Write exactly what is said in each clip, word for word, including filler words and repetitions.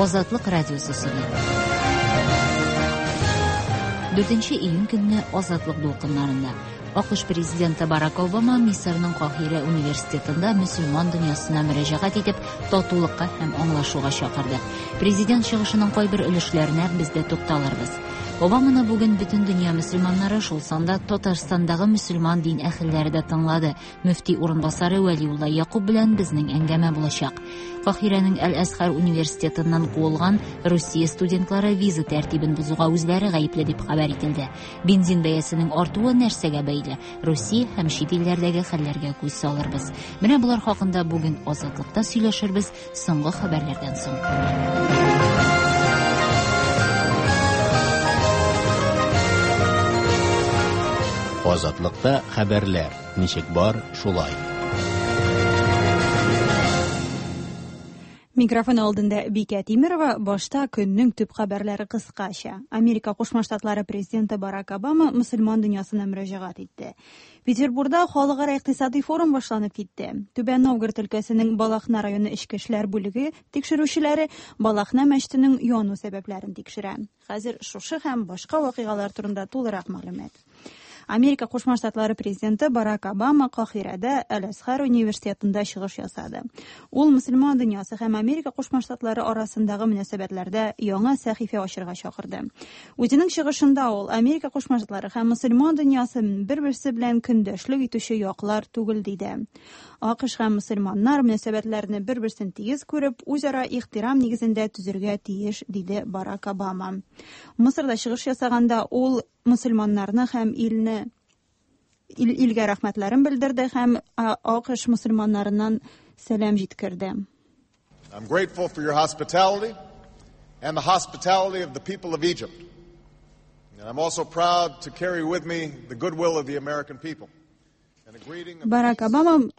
Азатлык радиосы сөйли. Дүртенче июнь көнне Азатлык дулкыннарында А К Ш президенты Барак Обама Мисырның Каһирә университетында мөселман дөньясына мөрәҗәгать итеп, татулыкка һәм аңлашуга чакырды. Президент чыгышының кайбер өлешләренә без дә тукталырбыз. Обаманы бүген бөтен дөнья мөселманнары, шул санда Татарстандагы мөселман дин әһелләре дә тыңлады. Мөфти урынбасары Вәлиулла Якуб белән безнең әңгәмә булачак. Каһирәнең Әл-Әзһәр университетыннан куылган Русия студентлары виза тәртибен бозуга үзләре гаепле дип хәбәр ителде. Бензин бәясенең артуы нәрсәгә бәйле? Русия һәм чит илләрдәге хәлләргә күз салырбыз. Менә болар хакында бүген Азатлыкта сөйләшербез соңгы хәбәрләрдән соң. Азатлыкта хәбәрләр ничек бар, шулай. Микрофон алдында Бикә Тимирова. Башта көннең төп хәбәрләре кыскача. Америка Кушма Штатлары президенты Барак Обама мөселман дөньясына мөрәҗәгать итте. Петербургда халыкара икътисади форум башланып китте. Түбән Новгород өлкәсенең Балахна районы эчке эшләр бүлеге тикшерүчеләре Балахна мәчетенең яну сәбәпләрен тикшерә. Хәзер шушы һәм башка вакыйгалар турында тулырак мәгълүмат. Америка Кушма Штатлары президенты Барак Обама Каһирәдә Әл-Әзһәр университетында чыгыш ясады. Ул мөселман дөньясы һәм Америка Кушма Штатлары арасындагы мөнәсәбәтләрдә яңа сәхифә ачырга чакырды. Үзенең чыгышында ул Америка Кушма Штатлары һәм мөселман дөньясы бер-берсе белән көндәшлек итүче яклар түгел диде. А К Ш һәм мөселманнар мөнәсәбәтләрне бер-берсен тигез күреп, үзара ихтирам нигезендә төзергә тиеш, диде Барак Обама. Мысырда чыгыш ясаганда ул мөселманнарны һәм илне ил, илгә рәхмәтләрен белдерде һәм А К Ш мөселманнарыннан сәлам җиткерде. I'm grateful for your hospitality and the hospitality of the people of Egypt. And I'm also proud to carry with me the goodwill of the American people. Барак Обама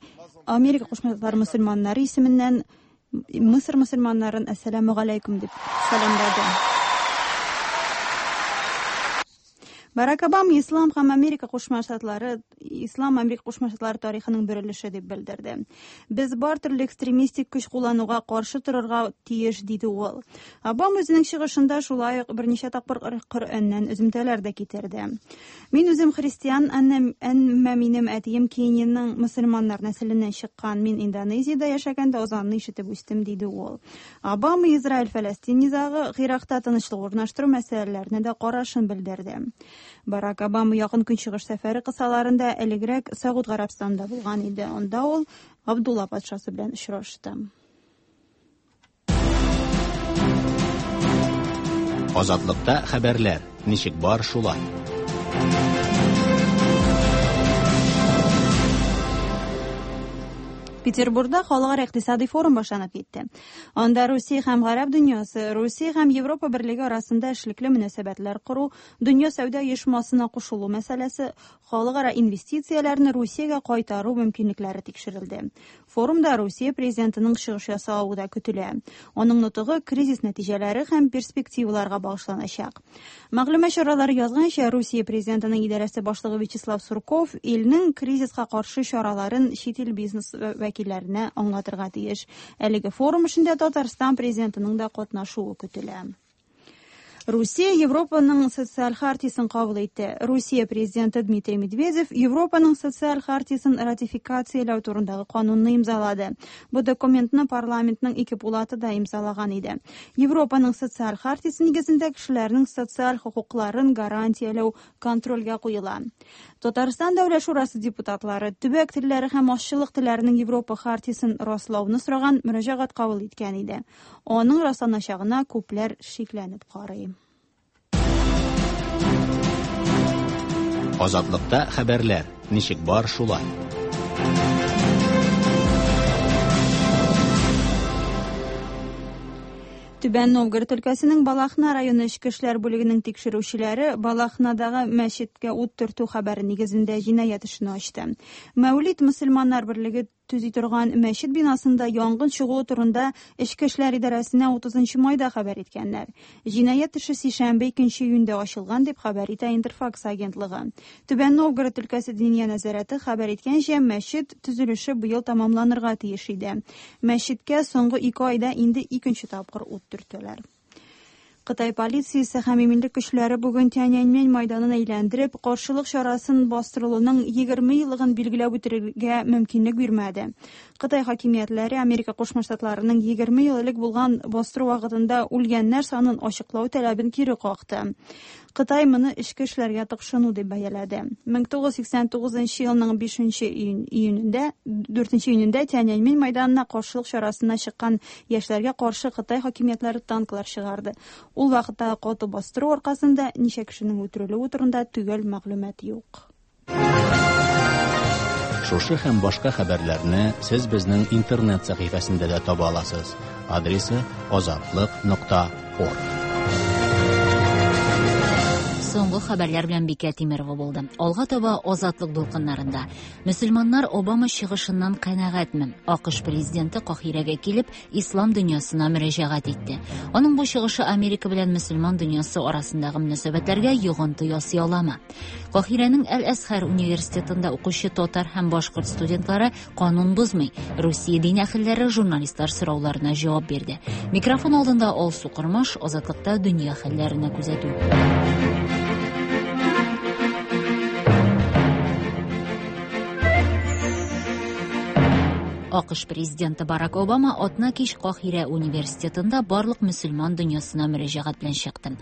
Америка Кушма Штатлары мөселманнары исеменнән Мисыр мөселманнарын әссәламү галәйкүм дип сәламләде. Барак Обама Ислам һәм Америка Кушма Штатлары Ислам Америка Кушма Штатлары тарихының бер өлеше дип белдерде. Без бар төрле экстремистик көч куллануга каршы торырга тиеш, диде ул. Обама үзенең чыгышында шулай ук берничә тапкыр Коръәннән өземтәләр дә китерде. Мин үзем христиан, әмма минем әтием Кениянең мөселманнар нәселеннән чыккан. Мин Индонезиядә яшәгәндә азанны ишетеп үстем, диде ул. Обама Израиль-Фәләстин низагы, Гыйракта тынычлык урнаштыру мәсьәләләренә дә карашын белдерде. Барак Обама якын көнчыгыш сәфәре кысаларында элегрәк Сәгуд Гарәбстанында булган иде. Анда ул Абдулла патшасы белән очрашты. Азатлыкта хәбәрләр ничек бар, шулай. Петербургда халыкара икътисади форум башланып китте. Анда Русия һәм Гарәп дөньясы, Русия һәм Европа берлеге арасында эшлекле мөнәсәбәтләр кору, дөнья сәүдә оешмасына кушылу мәсьәләсе, халыкара инвестицияләрне Русиягә кайтару мөмкинлекләре тикшерелде. Форумда Русия президентының чыгыш ясавы да көтелә. Аның нотыгы кризис нәтиҗәләре һәм перспективаларга багышланачак. Мәгълүмат чаралары язганча, Русия президентының идарәсе башлыгы Вячеслав Сурков илнең кризиска каршы чараларын чит ил бизнес вәкилләренә аңлатырга тиеш. Әлеге форум эшендә Татарстан президентының да катнашуы көтелә. Русия Европаның социаль хартиясен кабул итте. Русия президенты Дмитрий Медведев Европаның социаль хартиясен ратификацияләү турындагы канунны имзалады. Бу документны парламентның ике пулаты да имзалаган иде. Европаның социаль хартиясе нигезендә кешеләрнең социаль хокукларын гарантияләү контрольгә куела. Татарстан Дәүләт Шурасы депутатлары төбәк телләре һәм азчылык телләренең Европа хартиясен раслауны сораган мөрәҗәгать кабул иткән иде. Аның расланачагына күпләр шикләнеп карый. Азатлыкта хәбәрләр ничек бар, шулай. Түбән Новгород өлкәсенең Балахна районы эчке эшләр бүлегенең тикшерүчеләре Балахнадагы мәчеткә ут төртү хәбәре нигезендә җинаять эшен ачты. Мәүлид мөселманнар берлеге төзи торган мәчет бинасында янгын чыгуы турында Эчке эшләр идарәсенә утызынчы майда хәбәр иткәннәр. Җинаять эше сишәмбе икенче июньдә ачылган дип хәбәр итә Интерфакс агентлыгы. Түбән Новгород өлкәсе Диния нәзарәте хәбәр иткәнчә, мәчет төзелеше быел тәмамланырга тиеш иде. Мәчеткә соңгы ике айда инде икенче тапкыр ут төртәләр. Кытай полициясе һәм иминлек көчләре бүген Тяньаньмэнь майданын әйләндереп, каршылык чарасын бастырылуның егерме еллыгын билгеләп үтәргә мөмкинлек бирмәде. Кытай хакимиятләре Америка Кушма Штатларының егерме ел элек булган бастыру вакытында үлгәннәр санын ачыклау таләбен кире какты. Кытай моны эчке эшләргә тыкшыну дип бәяләде. мең тугыз йөз сиксән тугызынчы елның бишенче июнендә, дүртенче июнендә Тяньаньмэнь майданына каршылык чарасына чыккан яшьләргә каршы Кытай хакимиятләре танклар чыгарды. Ул вакытта каты бастыру аркасында ничә кешенең үтерелүе турында төгәл мәгълүмат юк. Шушы һәм башка хәбәрләрне сез безнең интернет сәхифәсендә дә таба аласыз. Адресы азатлык нокта орг. Соңгы хәбәрләр белән Бикә Тимерова булды. Алга таба Азатлык дулкыннарында. Мөселманнар Обама чыгышыннан канәгатьме? АКШ президенты Каһирәгә килеп, ислам дөньясына мөрәҗәгать итте. Аның бу чыгышы Америка белән мөселман дөньясы арасындагы мөнәсәбәтләргә йогынты ясый аламы? Каһирәнең Әл-Әзһәр университетында укучы татар һәм башкорт студентлары канун бозмый. Русия дин әһелләре журналистлар сорауларына җавап бирде. Микрофон алдында Алсу Кормаш, Азатлыкта дөнья хәлләренә күзәтү. АКШ президенты Барак Обама атна кич Каһирә университетында барлык мөселман дөньясына мөрәҗәгать белән чыкты.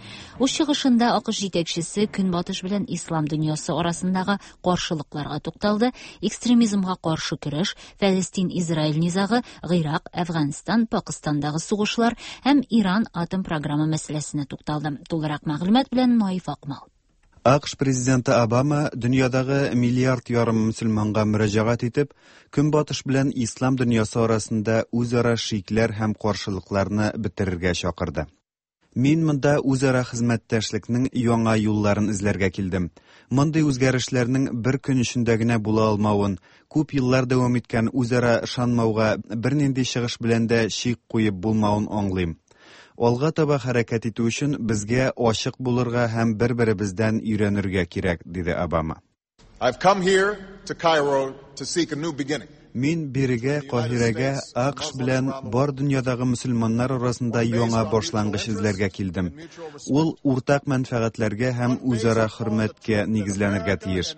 Үз чыгышында АКШ җитәкчесе Көнбатыш белән ислам дөньясы арасындагы каршылыкларга тукталды, экстремизмга каршы көрәш, Фәлестин-Израиль низагы, Гыйрак, Әфганстан, Пакистандагы сугышлар һәм Иран атом программы мәсьәләсенә тукталды. Тулырак мәгълүмат белән Наиф Акмал. АКШ президенты Обама дөньядагы миллиард ярым мөселманга мөрәҗәгать итеп, Көнбатыш белән ислам дөньясы арасында үзара шикләр һәм каршылыкларны бетерергә чакырды. Мин монда үзара хезмәттәшлекнең яңа юлларын эзләргә килдем. Мондый үзгәрешләрнең бер көн эчендә генә була алмавын, күп еллар дәвам иткән үзара ышанмауга бернинди чыгыш белән дә чик куеп булмавын аңлыйм. Алга таба хәрәкәт итү өчен безгә ачык булырга һәм бер-беребездән өйрәнергә кирәк, диде Обама. I've come here to Cairo to seek a new beginning. Мин бирегә, Каһирәгә, АКШ белән бар дөньядагы мөселманнар арасында яңа башлангыч эзләргә килдем. Ул уртак мәнфәгатьләргә һәм үзара хөрмәткә нигезләнергә тиеш.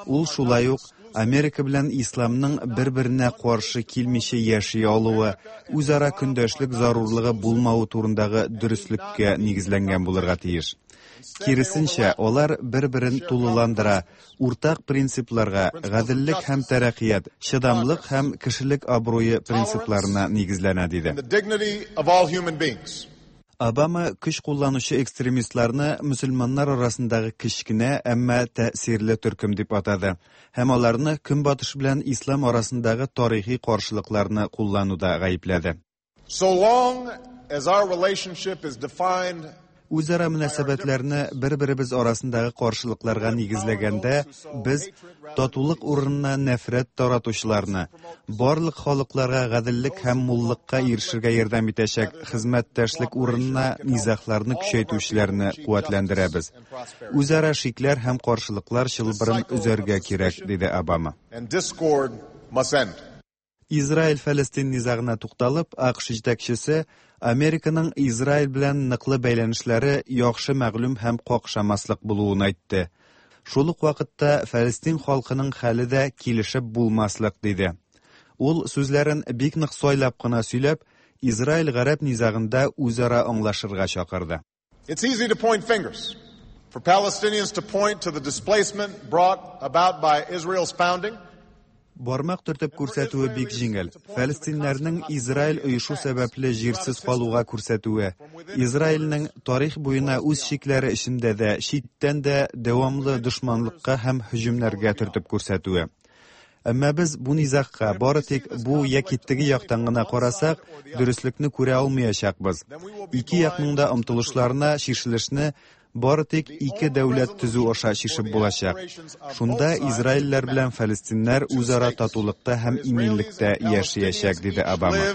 Ул шулай ук Америка белән исламның бер-беренә каршы килмичә яши алуы, үзара көндәшлек зарурлыгы булмавы турындагы дөреслеккә нигезләнгән булырга тиеш. Киресенчә, алар бер-берен тулыландыра, уртак принципларга, гаделлек һәм тәрәккыят, чыдамлык һәм кешелек абруе принципларына нигезләнә, диде. Обама көч кулланучы экстремистларны мөселманнар арасындагы кечкенә, әмма тәэсирле төркем дип атады һәм аларны Көнбатыш белән ислам арасындагы тарихи каршылыкларны куллануда гаепләде. So long as our relationship is defined Үзара мөнәсәбәтләрне бер-беребез арасындагы каршылыкларга нигезләгәндә, без татулык урынына нәфрәт таратучыларны, барлык халыкларга гаделлек һәм муллыкка ирешергә ярдәм итәчәк хезмәттәшлек урынына низагларны көчәйтүчеләрне куәтләндерәбез. Үзара шикләр һәм каршылыклар чылбырын өзәргә кирәк, диде Обама. Израиль-Фәлестин низагына тукталып, АКШ җитәкчесе Американың Израиль белән ныклы бәйләнешләре яхшы мәгълүм һәм какшамаслык булуын әйтте. Шул ук вакытта Фәлестин халкының хәле дә килешеп булмаслык, диде. Ул сүзләрен бик нык сайлап кына сөйләп, Израиль-Гарәп низагында үзара аңлашырга чакырды. It's easy to point fingers. For Palestinians to point to the displacement brought about by Israel's founding. Бармак төртеп күрсәтүе бик җиңел. Фәлестиннәрнең Израиль оешу сәбәпле җирсез калуга күрсәтүе, Израильнең тарих буена үз чикләре эчендә дә, читтән дә дәвамлы дошманлыкка һәм һөҗүмнәргә төртеп күрсәтүе. Әмма без бу низагка бары тик бу яки теге яктан гына карасак, дөреслекне күрә алмаячакбыз. Ике якның да омтылышларына чишелешне бары тик ике дәүләт төзү аша чишеп булачак. Шунда израильләр белән фәлестиннәр үзара татулыкта һәм иминлектә яшәячәк, диде Обама.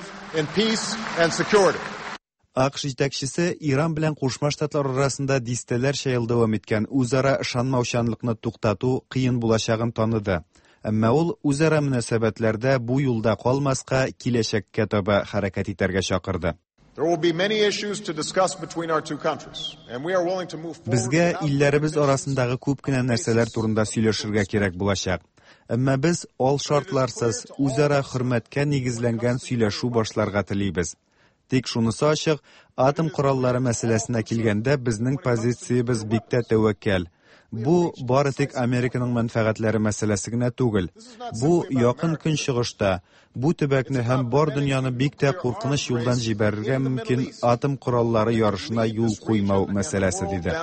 АКШ җитәкчесе Иран белән Кушма Штатлар арасында дистәләрчә ел дәвам иткән үзара ышанмаучанлыкны туктату кыен булачагын таныды. Әмма ул үзара мөнәсәбәтләрдә бу юлда калмаска, киләчәккә таба хәрәкәт итәргә чакырды. Безгә илләребез арасындагы күп кенә нәрсәләр турында сөйләшергә кирәк булачак. Әмма без алшартларсыз, үзара хөрмәткә нигезләнгән сөйләшү башларга телибез. Тик шунысы ачык, атом кораллары мәсьәләсенә килгәндә безнең позициябез бик тә тәвәккәл. Бу бары тик Американың мәнфәгатьләре мәсьәләсе генә түгел. Бу якын көнчыгышта бу төбәкне һәм бар дөньяны бик тә куркыныч юлдан җибәрергә мөмкин атом кораллары ярышына юл куймау мәсьәләсе, диде.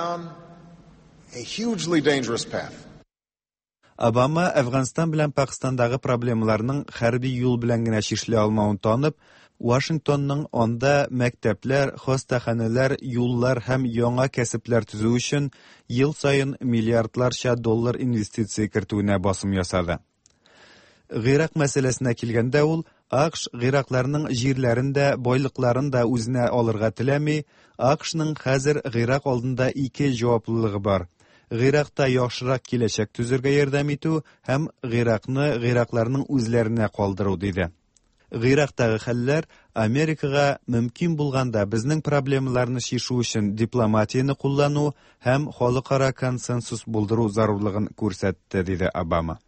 Обама Әфганстан белән Пакистандагы проблемаларның хәрби юл белән генә чишелә алмавын танып, Вашингтонның анда мәктәпләр, хастаханәләр, юллар һәм яңа кәсепләр төзү өчен ел саен миллиардларча доллар инвестиция кертүенә басым ясады. Гыйрак мәсьәләсенә килгәндә, ул АКШ гыйракларның җирләрен дә, байлыкларын да үзенә алырга теләми. АКШның хәзер Гыйрак алдында ике җаваплылыгы бар: Гыйракта яхшырак киләчәк төзергә ярдәм итү һәм Гыйракны гыйракларның үзләренә калдыру, диде. Гыйрактагы хәлләр Америкага мөмкин булганда безнең проблемаларны чишү өчен дипломатияне куллану һәм халыкара консенсус булдыру зарурлыгын күрсәтте, диде Обама.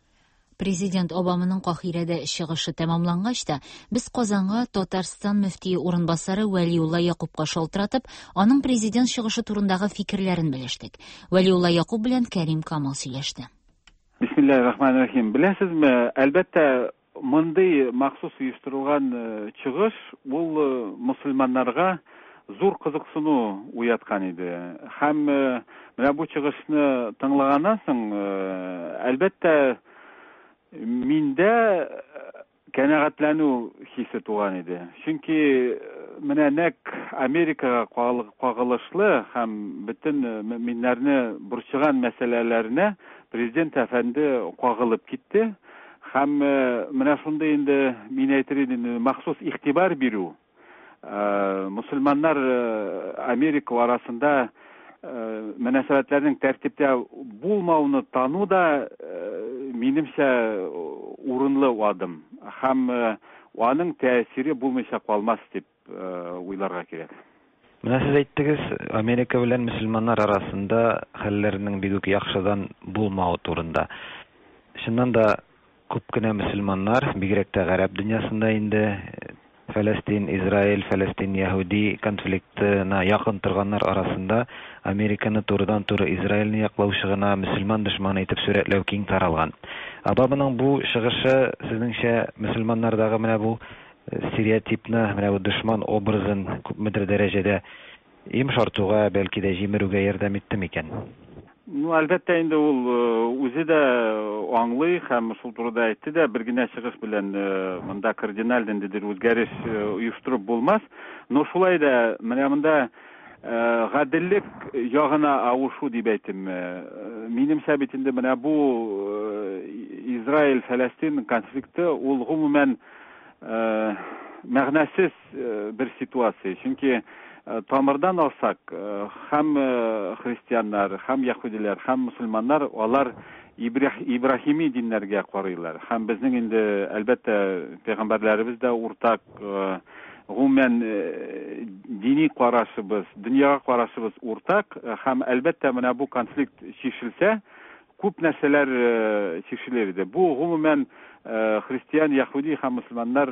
Президент Обаманың Каһирәдә чыгышы тәмамлангач та, без Казанга Татарстан мөфтие урынбасары Вәлиулла Якупка шалтыратып, аның президент чыгышы турындагы фикерләрен белештек. Вәлиулла Якуп белән Кәрим Камал сөйләште. Бисмиллаһир-рахманир-рахим. Беләсезме, әлбәттә, мондый махсус оештырылган чыгыш ул мусульманнарга зур кызыксыну уяткан иде. Һәм менә бу чыгышны тыңлаганнан соң, әлбәттә, миндә канәгатьләнү хисе туган иде. Чөнки менә нәкъ Америкага кагылышлы һәм бөтен мөэминнәрне борчыган мәсьәләләренә президент әфәнде кагылып китте. Һәм менә шундый инде мин әйтер идем, махсус игътибар бирү, мусульманнар Америка арасында мөнәсәбәтләрнең тәртиптә булмауны тану да минемчә урынлы адым. Һәм аның тәэсире булмыйча калмас дип уйларга кирәк. Менә сез әйттегез, Америка белән мөселманнар арасында хәлләрнең бик үк яхшыдан булмавы турында. Чыннан да күп кенә мөселманнар, бигрәк тә гарәп дөньясында инде Фәләстин, Израиль, Фәләстин, Яһүди конфликтына якын торганнар арасында Американы турыдан-туры Израильне яклаучы гына мөселман дошманы итеп сурәтләү киң таралган. Обаманың бу чыгышы сезнеңчә мөселманнардагы менә бу стереотипны, менә бу дошман образын күпмедер дәрәҗәдә йомшартуга, бәлки дә җимерүгә ярдәм итте микән? Ну, әлбәттә инде ул үзе дә аңлый һәм шул турыда әйтте дә, бер генә чыгыш белән монда кардиналь ниндидер үзгәреш оештырып булмас. Но шулай да менә монда гаделлек ягына авышу дип әйтим. Минемчә бит инде менә бу Израиль-Фәләстин конфликты ул гомумән мәгънәсез бер ситуация. Чөнки тамырдан алсак, һәм христианнар, һәм яһүдиләр, һәм мусульманнар алар Ибраһими диннәргә карыйлар. Һәм безнең инде әлбәттә пәйгамбәрләребез дә уртак, гомумән дини карашыбыз, дөньяга карашыбыз уртак. Һәм әлбәттә менә бу конфликт чишелсә, күп нәрсәләр чишелер иде. Бу гомумән христиан, яһүди һәм мусульманнар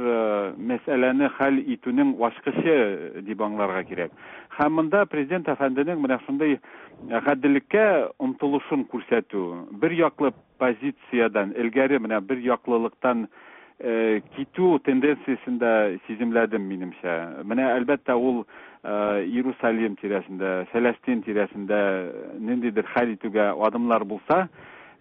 мәсьәләне хәл итүнең ачкычы дип аңларга кирәк. Һәм монда президент әфәнденең менә шундый гаделлеккә омтылышын күрсәтү, бер яклы позициядән элгәре менә бер яклылыктан китү тенденциясен дә сиземләдем минемчә. Менә әлбәттә ул Иерусалим тирәсендә, Фәләстин тирәсендә ниндидер хәл итүгә адымлар булса,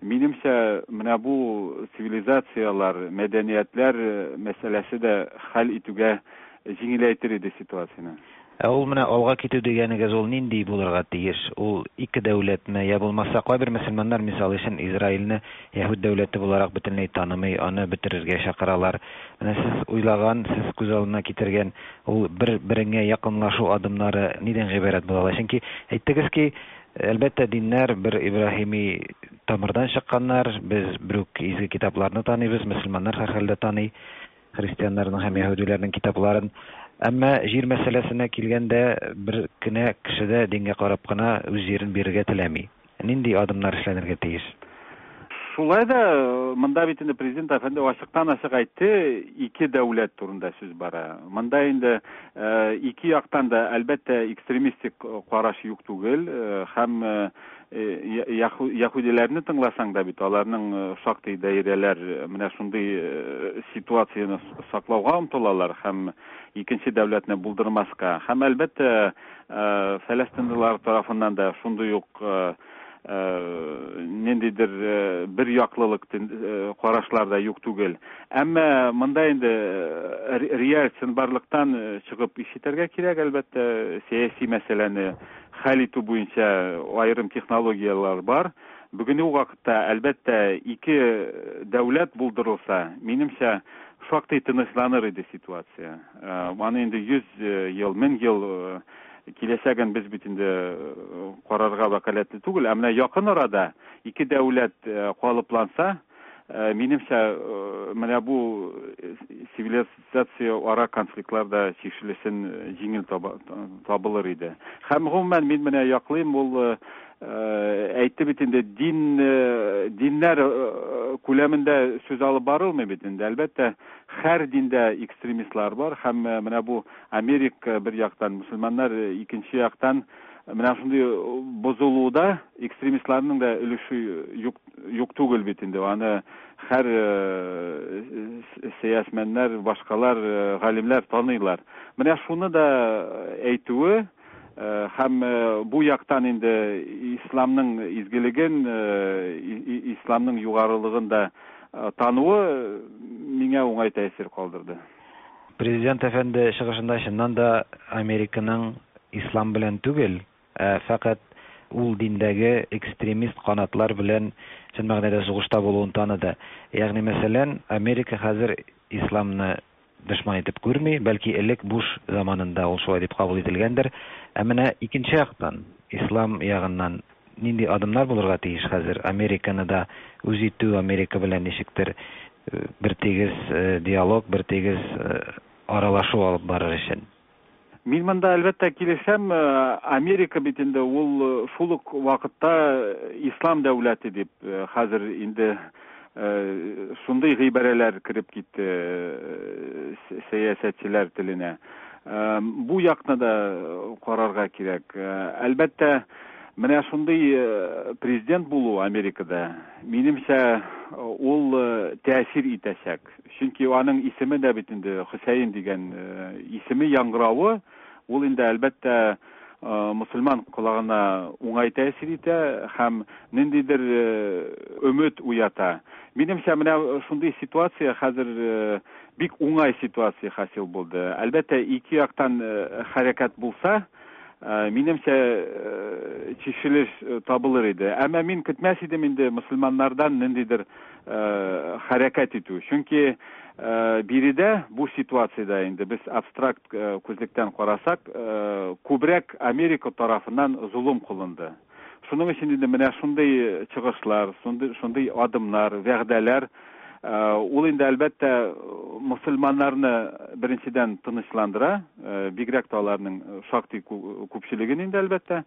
минемчә менә бу цивилизациялар, мәдәниятләр мәсьәләсе дә хәл итүгә җиңеләйтер иде ситуацияне. Ә ул менә алга китү дигәнегез ул нинди булырга тиеш? Ул ике дәүләтме, я булмаса кайбер мөселманнар мисал өчен Израильне яһүд дәүләте буларак бөтенләй танымый, аны бетерергә чакыралар. Менә сез уйлаган, сез күз алдына китергән ул бер-береңә якынлашу адымнары нидән гыйбарәт була ала? Чөнки әйттегез ки, әлбәттә, диннәр бер Ибраһими тамырдан чыкканнар, без бер үк изге китапларны таныйбыз, мөселманнар һәрхәлдә таный христианнарның һәм яһүдиләрнең китапларын. Әмма җир мәсьәләсенә килгәндә бер кенә кеше дә дингә карап кына үз җирен бирергә теләми. Нинди адымнар эшләнергә тиеш? Шулай да монда бит инде президент әфәнде ачыктан-ачык әйтте, ике дәүләт турында сүз бара. Монда инде ике яктан да әлбәттә экстремистик караш юк түгел, һәм яһүдиләрне тыңласаң да бит аларның шактый даирәләр менә шундый ситуацияне саклауга омтылалар һәм икенче дәүләтне булдырмаска. Һәм әлбәттә фәләстинлылар тарафыннан да шундый ук ниндидер бер яклылык карашлар да юк түгел. Әмма монда инде реаль чынбарлыктан чыгып иш итәргә кирәк, әлбәттә, сәяси мәсьәләне хәл итү буенча аерым технологияләр бар. Бүгенге вакытта, әлбәттә, ике дәүләт булдырылса, минемчә, шактый тынычланыр иде ситуация. Аны инде йөз ел, мең ел киләчәген без бит инде карарга вәкаләтле түгел. Ә менә якын арада ике дәүләт калыпланса, минемчә, менә бу цивилизация ара конфликтлар да чишелешен җиңел табылыр иде. Һәм гомумән мин менә яклыйм, ул әйтте бит инде, дин, диннәр күләмендә сүз алып барылмый бит инде. Әлбәттә, һәр диндә экстремистлар бар һәм менә бу Америка бер яктан, мөселманнар икенче яктан менә шундый бозылуда экстремистларның да өлеше юк, юк түгел бит инде. Аны һәр сәясәтмәннәр, башкалар, галимнәр таныйлар. Менә шуны да әйтүе һәм бу яктан инде исламның изгелеген, исламның югарылыгын да тануы миңа уңай тәэсир калдырды. Президент әфәнде чыгышында чыннан да Американың ислам белән түгел, ә фәкать ул диндәге экстремист канатлар белән чын мәгънәдә сугышта булуын таныды. Ягъни, мәсәлән, Америка хәзер исламны дошман итеп күрми, бәлки элек Буш заманында ул шулай дип кабул ителгәндер. Ә менә икенче яктан, ислам ягыннан нинди адымнар булырга тиеш хәзер? Американы да үз итү, Америка белән ничектер бер тигез диалог, бер тигез аралашу алып барыр өчен. Мин монда әлбәттә килешәм. Америка бит инде ул шул ук вакытта ислам дәүләте дип хәзер инде шундый гыйбарәләр кереп китте сәясәтчеләр теленә. Бу якны да карарга кирәк. Әлбәттә, менә шундый президент булу Америкада, минемчә, ул тәэсир итәчәк. Чөнки аның исеме дә бит инде Хөсәен дигән исеме яңгыравы, ул инде әлбәттә мөселман колагына уңай тәэсир итә һәм ниндидер өмет уята. Минемчә, менә шундый ситуация хәзер бик уңай ситуация хасил булды. Әлбәттә, ике яктан хәрәкәт булса, минемчә, чишелеш табылыр иде. Әмма мин көтмәс идем инде мөселманнардан ниндидер хәрәкәт итү. Чөнки биредә бу ситуациядә инде без абстракт күзлектән карасак, күбрәк Америка тарафыннан золым кылынды. Шуның өчен инде менә шундый чыгышлар, шундый, шундый адымнар, вәгъдәләр, ул инде әлбәттә мөселманнарны беренчедән тынычландыра, бигрәк тә аларның шактый күпчелеген инде әлбәттә.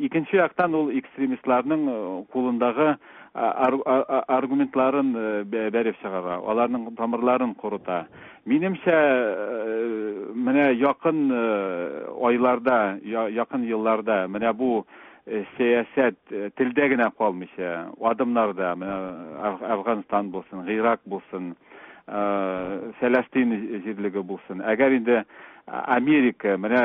Икенче яктан ул экстремистларның кулындагы аргументларын бәреп чыгара, аларның тамырларын корыта. Минемчә, менә якын айларда, якын елларда менә бу сәясәт телдә генә калмыйча, адымнарда, менә Афганстан булсын, Ирак булсын, Фәләстин җирлеге булсын. Әгәр инде Америка менә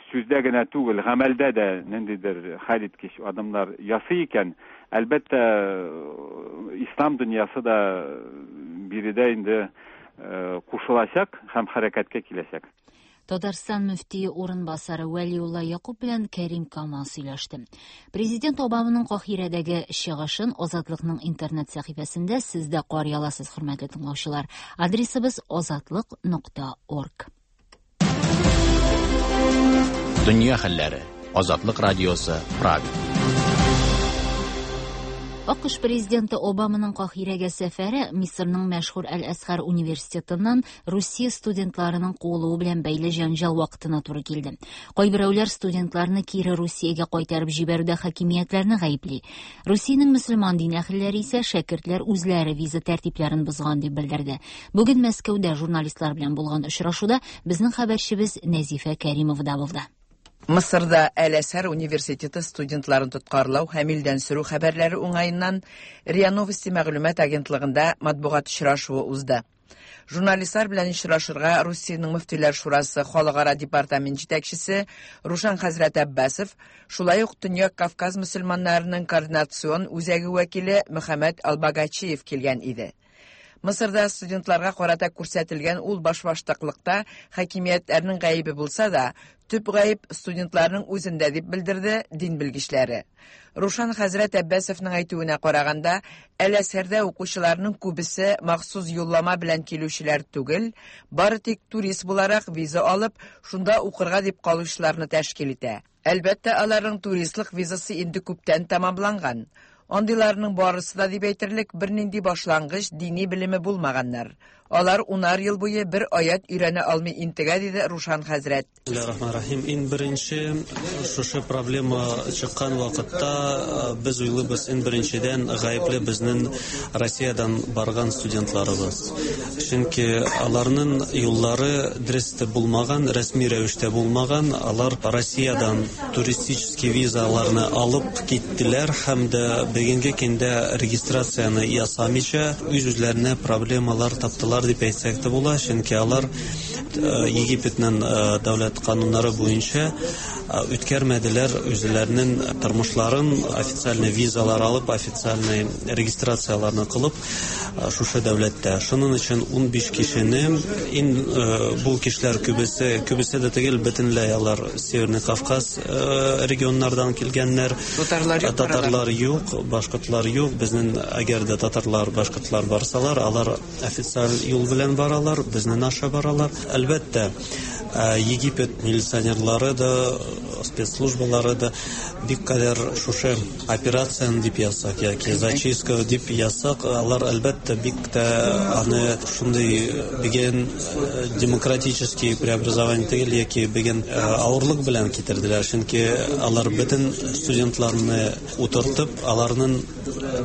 сүздә генә түгел, гамәлдә дә ниндидер хәл иткеч адымнар ясый икән, әлбәттә, ислам дөньясы да биредә инде кушылачак һәм хәрәкәткә киләчәк. Татарстан мөфтие урынбасары Вәлиулла Якуб белән Кәрим Камал сөйләште. Президент Обаманың Каһирәдәге чыгышын Азатлыкның интернет сәхифәсендә сез дә карый аласыз, хөрмәтле тыңлаучылар. Адресыбыз азатлык нокта орг. Дөнья хәлләре. Азатлык радиосы, Прага. АКШ президенты Обаманың Каһирәгә сәфәре Мисырның мәшһүр Әл-Әзһәр университетыннан Русия студентларының куылуы белән бәйле җәнҗал вакытына туры килде. Кайберәүләр студентларны кире Русиягә кайтарып җибәрүдә хакимиятләрне гаепли. Русиянең мөселман дин әһелләре исә шәкертләр үзләре виза тәртипләрен бозган дип белдерде. Бүген Мәскәүдә журналистлар белән булган очрашуда безнең хәбәрчебез Нәзифә Кәримова да булды. Мысырда Әл-Әзһәр университеты студентларын тоткарлау һәм илдән сөрү хәбәрләре уңаеннан РИА Новости мәгълүмат агентлыгында матбугат очрашуы узды. Журналистлар белән очрашырга Русиянең мөфтиләр шурасы халыкара департамент җитәкчесе Рушан хәзрәт Аббасов, шулай ук Төньяк Кавказ мөселманнарының координацион үзәге вәкиле Мөхәммәд Албагачиев килгән иде. Мысырда студентларга карата күрсәтелгән ул башбаштаклыкта хакимиятләрнең гаебе булса да, төп гаеп студентларның үзендә дип белдерде дин белгечләре. Рушан хәзрәт Аббасовның әйтүенә караганда, Әл-Әзһәрдә укучыларның күбесе махсус юллама белән килүчеләр түгел, бары тик турист буларак виза алып, шунда укырга дип калучыларны тәшкил итә. Әлбәттә, аларның туристлык визасы инде күптән тәмамланган. Андыйларның барысы да дип әйтерлек бернинди башлангыч дини белеме булмаганнар. Алар унар ел буе бер аят өйрәнә алмый интегә, диде Рушан хәзрәт. Бисмиллахир-рахманир-рахим. Иң беренче шушы проблема чыккан вакытта без уйлыйбыз, иң беренчедән гаепле безнең Россиядән барган студентларыбыз. Чөнки аларның юллары дөрес булмаган, рәсми рәвештә булмаган. Алар Россиядән туристический визаларны алып киттеләр һәм дә бүгенге көндә регистрацияне ясамыйча үз-үзләренә проблемалар таптылар дип әйтсәк тә була, чөнки алар Египетның дәүләт кануннары буенча үткәрмәделәр үзләренең тормышларын, официальный визалар алып, официальный регистрацияларны кылып шушы дәүләттә. Шуның өчен ун биш кешене, ин бу кешеләр күбесе, күбесе дә түгел, бөтенләй алар Северный Кавказ регионнардан килгәннәр. Татарлар юк, татарлар юк, башкортлар юк. Безнең әгәр дә татарлар, башкортлар барсалар, алар официаль юл белән баралар, безнең аша баралар. Әлбәттә, Египет милиционерлары да, спецслужбалары да бик кадәр шушы операцияны дип язсак яки зачистка дип язсак, алар әлбәттә бик тә аны шундый бүген демократический преобразование түгел яки бүген авырлык белән китерделәр, чөнки алар бөтен студентларны утыртып, аларның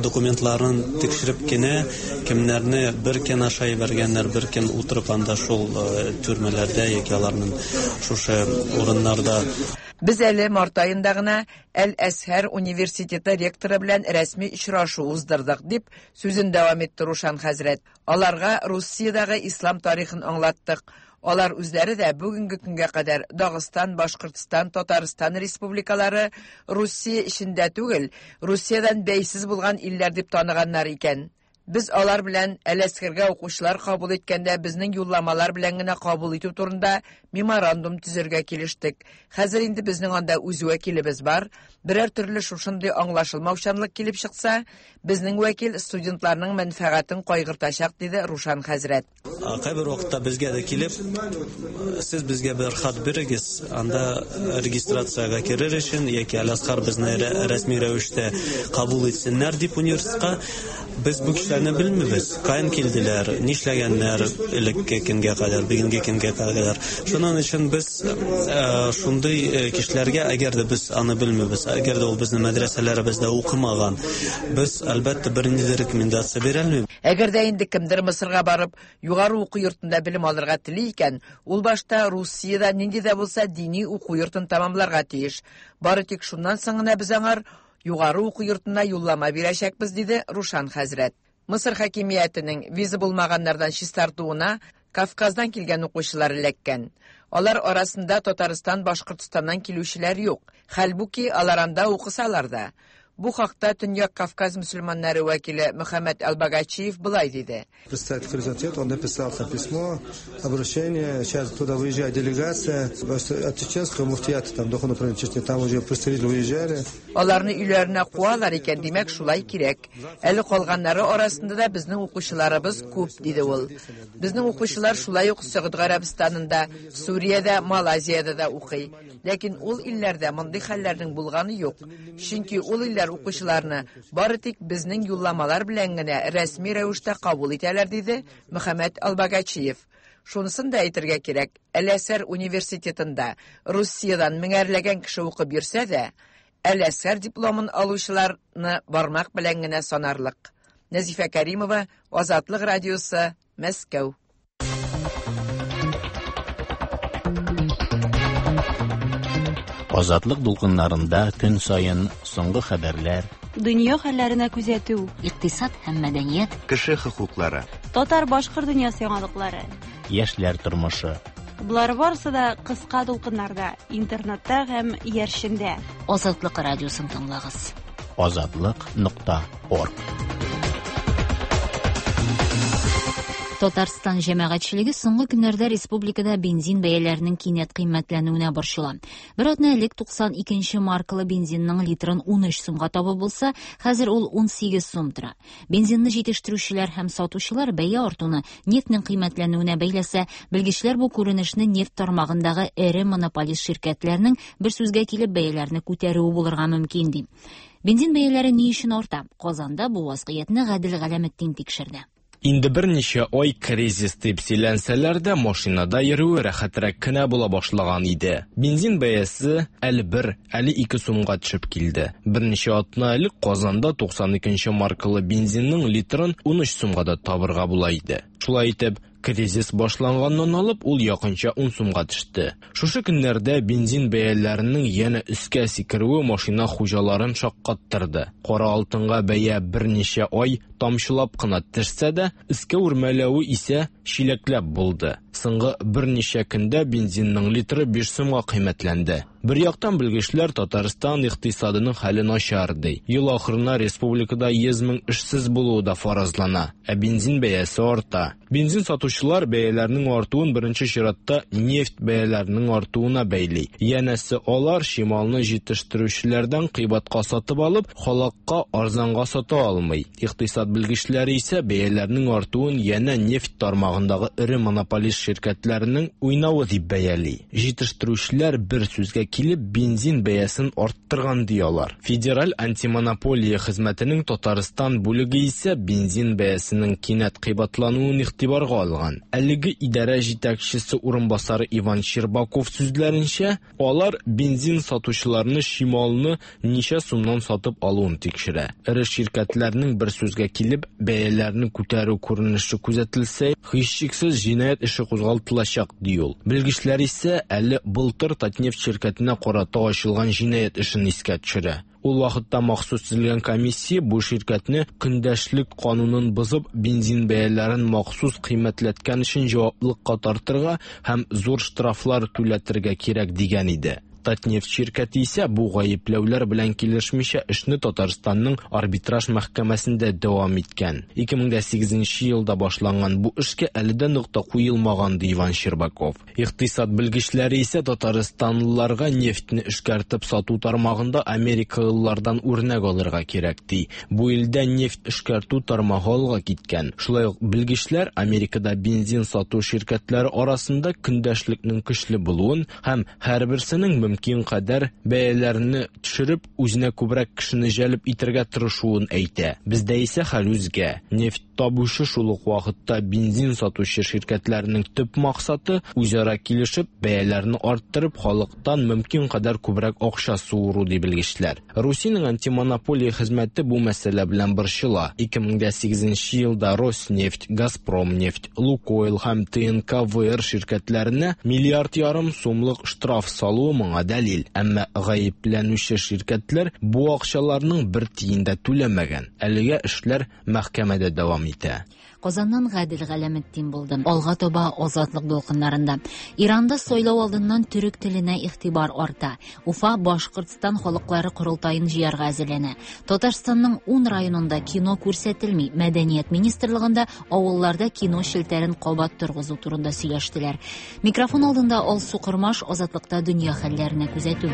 документларын тикшереп кенә кемнәрне бер көн аша җибәргәннәр, бер көн утырып анда шул төрмәләрдә яки аларның шушы урыннарда. Без әле март аенда гына Әл-Әзһәр университеты ректоры белән рәсми очрашу уздырдык, дип сүзен дәвам итте Рушан хәзрәт. Аларга Русиядәге ислам тарихын аңлаттык. Алар үзләре дә бүгенге көнгә кадәр Дагыстан, Башкортстан, Татарстан республикалары Русия эчендә түгел, Русиядән бәйсез булган илләр дип таныганнар икән. Без алар белән Әл-Әзһәргә укучылар кабул иткәндә безнең юлламалар белән генә кабул итү турында меморандум төзергә килештек. Хәзер инде безнең анда үз вәкилебез бар. Берәр төрле шушындый аңлашылмаучанлык килеп чыкса, безнең вәкил студентларның мәнфәгатен кайгыртачак, диде Рушан хәзрәт. Кайбер вакытта безгә дә килеп, сез безгә бер хат бирегез, анда регистрациягә керер өчен яки Әл-Әзһәр безне рәсми рәвештә кабул итсеннәр дип университетка. Без бу кешеләрне белмибез, каян килделәр, нишләгәннәр элекке көнгә кадәр, бүгенге көнгә кадәр. Шуның өчен без шундый кешеләргә, әгәр дә без аны белмибез, әгәр дә ул безнең мәдрәсәләребездә укымаган, без әлбәттә бернинди рекомендация бирә алмыйбыз. Әгәр дә инде кемдер Мысырга барып, югары уку йортында белем алырга тели икән, ул башта Русиядә нинди дә булса дини уку йортын тәмамларга тиеш. Бары тик шуннан соң гына без аңар югары уку йортына юллама бирәчәкбез, диде Рушан хәзрәт. Мысыр хакимиятенең виза булмаганнардан чистартуына Кавказдан килгән укучылар эләккән. Алар арасында Татарстан, Башкортстаннан килүчеләр юк. Хәлбуки алар анда укысалар да. Бу хакта Төньяк Кавказ мөселманнары вәкиле Мөхәммәд Албагачиев былай диде. Представитель Хризантет, он написал там письмо, обращение, сейчас туда выезжает делегация от чеченского муфтията, там духовного управления Чечни, там уже представители выезжали. Аларны өйләренә куалар икән, димәк, шулай кирәк. Әле калганнары арасында да безнең укучыларыбыз күп, диде ул. Безнең укучылар шулай ук Сәгуд Гарәбстанында, Сүриядә, Малайзиядә дә укый. Ләкин ул илләрдә мондый хәлләрнең булганы юк. Чөнки ул илләр укучыларны бары тик безнең юлламалар белән генә рәсми рәвештә кабул итәләр, диде Мөхәммәд Албагачиев. Шунысын да әйтергә кирәк, Әл-Әзһәр университетында Русиядән меңәрләгән кеше укып йөрсә дә, Әл-Әзһәр дипломын алучыларны бармак белән генә санарлык. Нәзифә Кәримова, Азатлык радиосы, Мәскәү. Азатлык дулкыннарында көн саен соңгы хәбәрләр, дөнья хәлләренә күзәтү, икътисад һәм мәдәният, кеше хокуклары, татар-башкорт дөньясы яңалыклары, яшьләр тормышы. Болар барысы да кыска дулкыннарда, интернетта һәм иярчендә. Азатлык радиосын тыңлагыз. Азатлык нокта орг. Татарстан җәмәгатьчелеге соңгы көннәрдә республикада бензин бәяләренең кинәт кыйммәтләнүенә борчыла. Бер атна элек туксан икенче маркалы бензинның литрын ун өч сумга табып булса, хәзер ул ун сигез сум тора. Бензинны җитештерүчеләр һәм сатучылар бәя артуны нефтьнең кыйммәтләнүенә бәйләсә, белгечләр бу күренешне нефть тармагындагы эре монополист ширкәтләрнең бер сүзгә килеп бәяләрне күтәрүе булырга мөмкин ди. Бензин бәяләре ни өчен арта? Казанда бу вазгыятьне Гадел Галәметдин тикшерде. Инде берничә ай кризис дип сөйләнсәләр дә, машинада йөрүе рәхәтрәк кенә була башлаган иде. Бензин бәясе әле бер, әле ике сумга төшеп килде. Берничә атна элек Казанда туксан икенче маркалы бензинның литрын ун өч сумга да табырга була иде. Шулай итеп, кризис башланганнан алып, ул якынча ун сумга төште. Шушы көннәрдә бензин бәяләренең янә өскә сикерүе машина хуҗаларын шаккаттырды. Кара алтынга бәя берничә ай тамчылап кына төшсә дә, өскә үрмәләве исә чиләкләп булды. Соңгы берничә көндә бензинның литры биш сумга кыйммәтләнде. Бер яктан белгечләр Татарстан икътисадының хәле начар ди. Ел ахырына республикада йөз мең эшсез булуы да фаразлана, ә бензин бәясе арта. Бензин сатучылар бәяләрнең артуын беренче чиратта нефть бәяләренең артуына бәйли. Янәсе алар чималны җитештерүчеләрдән кыйбатка сатып алып, халыкка арзанга сата алмый. Икътисад белгечләре исә бәяләрнең артуын янә нефть тармагындагы эре монополист ширкәтләренең уйнавы дип бәяли. Җитештерүчеләр бер сүзгә килеп бензин бәясен арттырган ди алар. Федераль антимонополия хезмәтенең Татарстан бүлеге исә бензин бәясенең кинәт кыйбатлануын игътибарга алган. Әлеге идарә җитәкчесе урынбасары Иван Щербаков сүзләренчә, алар бензин сатучыларны чималны ничә сумнан сатып алуын тикшерә. Эре ширкәтләрнең бер сүзгә килеп бәяләрне күтәрү күренеше күзәтелсә, һичшиксез җинаять эше кузгалтылачак ди ул. Белгечләр исә әле былтыр Татнефть ширкәтенә карата ачылган җинаять эшен искә төшерә. Ул вакытта махсус төзелгән комиссия бу ширкәтне көндәшлек канунын бозып, бензин бәяләрен махсус кыйммәтләткән өчен җаваплылыкка тартырга һәм зур штрафлар түләтергә кирәк дигән иде. Татнефть ширкәте исә бу гаепләүләр белән килешмичә эшне Татарстанның арбитраж мәхкәмәсендә дәвам иткән. ике мең сигезенче елда башланган бу эшкә әле дә нокта куелмаган ди Иван Щербаков. Икътисад белгечләре исә татарстанлыларга нефтьне эшкәртеп сату тармагында америкалылардан үрнәк алырга кирәк ди. Бу илдә нефть эшкәртү тармагы алга киткән. Шулай ук белгечләр Америкада бензин сату ширкәтләре арасында көндәшлекнең көчле булуын һәм һәрберсенең мөмкин кадәр бәяләрне төшереп, үзенә күбрәк кешене җәлеп итәргә тырышуын әйтә. Бездә исә хәл үзгә. Нефть табучы шул ук вакытта бензин сатучы ширкәтләрнең төп максаты үзара килешеп, бәяләрне арттырып, халыктан мөмкин кадәр күбрәк акча суыру ди белгечләр. Русиянең антимонополия хезмәте бу мәсьәлә белән борчыла. ике мең сигезенче елда Роснефть, Газпромнефть, Лукойл һәм Т Н К В Р ширкәтләренә миллиард ярым сумлык штраф салуы моңа моңа дәлил. Әмма гаепләнүче ширкәтләр бу акчаларның бер тиен дә түләмәгән. Әлегә эшләр мәхкәмәдә дәвам итә. Казаннан Гадел Галәметдин булды. Алга таба Азатлык дулкыннарында. Иранда сайлау алдыннан төрек теленә игътибар арта. Уфа Башкортстан халыклары корылтаен җыярга әзерләнә. Татарстанның ун районында кино күрсәтелми. Мәдәният министрлыгында авылларда кино челтәрен кабат торгызу турында сөйләштеләр. Микрофон алдында Алсу Кормаш, Азатлыкта дөнья хәлләренә күзәтү.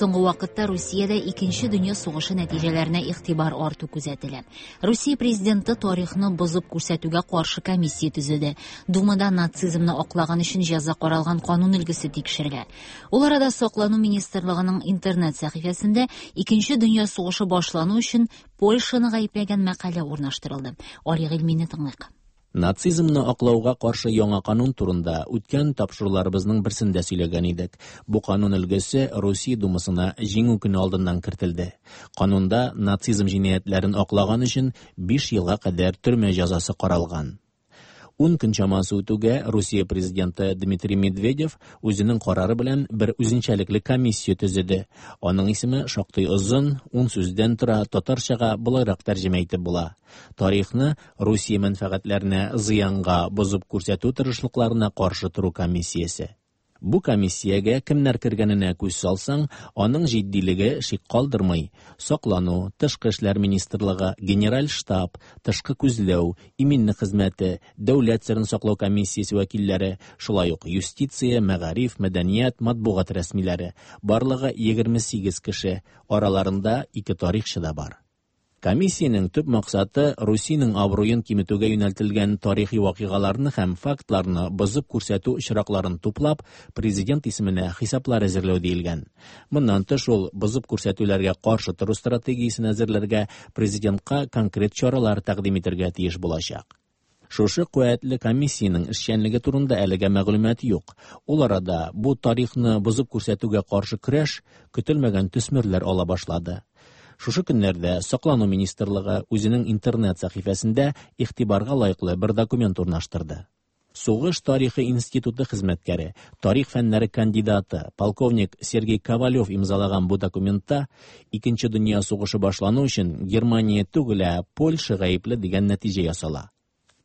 Соңгы вакытта Русиядә Икенче дөнья сугышы нәтиҗәләренә игътибар арту күзәтелә. Русия президенты тарихны бозып күрсәтүгә каршы комиссия төзеде. Думада нацизмны аклаган өчен җәза каралган канун өлгесе тикшерелә. Ул арада Саклану министрлыгының интернет сәхифәсендә Икенче дөнья сугышы башлану өчен Польшаны гаепләгән мәкалә урнаштырылды. Али Гыйльмине тыңлыйк. Нацизмны аклауга каршы яңа канун турында үткән тапшыруларыбызның берсендә сөйләгән идек. Бу канун өлгесе Русия Думасына Җиңү көне алдыннан кертелде. Канунда нацизм җинаятьләрен аклаган өчен биш елга кадәр төрмә җәзасы каралган. Ун көн чамасы үтүгә Русия президенты Дмитрий Медведев үзенең карары белән бер үзенчәлекле комиссия төзеде. Аның исеме шактый озын, ун сүздән тора, татарчага болайрак тәрҗемә итеп була. Тарихны Русия мәнфәгатьләренә зыянга бозып күрсәтү тырышлыкларына каршы тору комиссиясе. Бу комиссиягә кемнәр кергәненә күз салсаң, аның җитдилеге шик калдырмый. Саклану, Тышкы эшләр министрлыгы, Генераль штаб, тышкы күзләү, иминлек хезмәте, дәүләт серен саклау комиссиясе вәкилләре, шулай ук юстиция, мәгариф, мәдәният, матбугат рәсмиләре. Барлыгы егерме сигез кеше, араларында ике тарихчы да бар. Комиссиянең төп максаты Русиянең абруен киметүгә юнәлтелгән тарихи вакыйгаларны һәм фактларны бозып күрсәтү очракларын туплап, президент исеменә хисаплар әзерләү диелгән. Моннан тыш ул бозып күрсәтүләргә каршы тору стратегиясен әзерләргә, президентка конкрет чаралар тәкъдим итәргә тиеш булачак. Шушы куәтле комиссиянең эшчәнлеге турында әлегә мәгълүмат юк. Ул арада бу тарихны бозып күрсәтүгә каршы көрәш көтелмәгән төсмерләр ала башлады. Шушы көннәрдә Саклану министрлыгы үзенең интернет сәхифәсендә игътибарга лаеклы бер документ урнаштырды. Сугыш тарихы институты хезмәткәре, тарих фәннәре кандидаты, полковник Сергей Ковалев имзалаган бу документта Икенче дөнья сугышы башлану өчен Германия түгел, ә Польша гаепле дигән нәтиҗә ясала.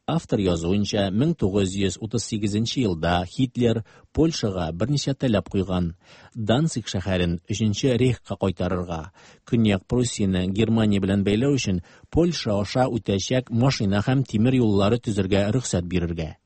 Автор язуынча, мең тугыз йөз утыз сигезенче елда Һитлер Польшага берничә таләп куйган. Данциг шәһәрен Өченче рейхка кайтарырга, Көньяк Пруссияне Германия белән бәйләү өчен Польша аша үтәчәк машина һәм тимер юллары төзергә рөхсәт бирергә.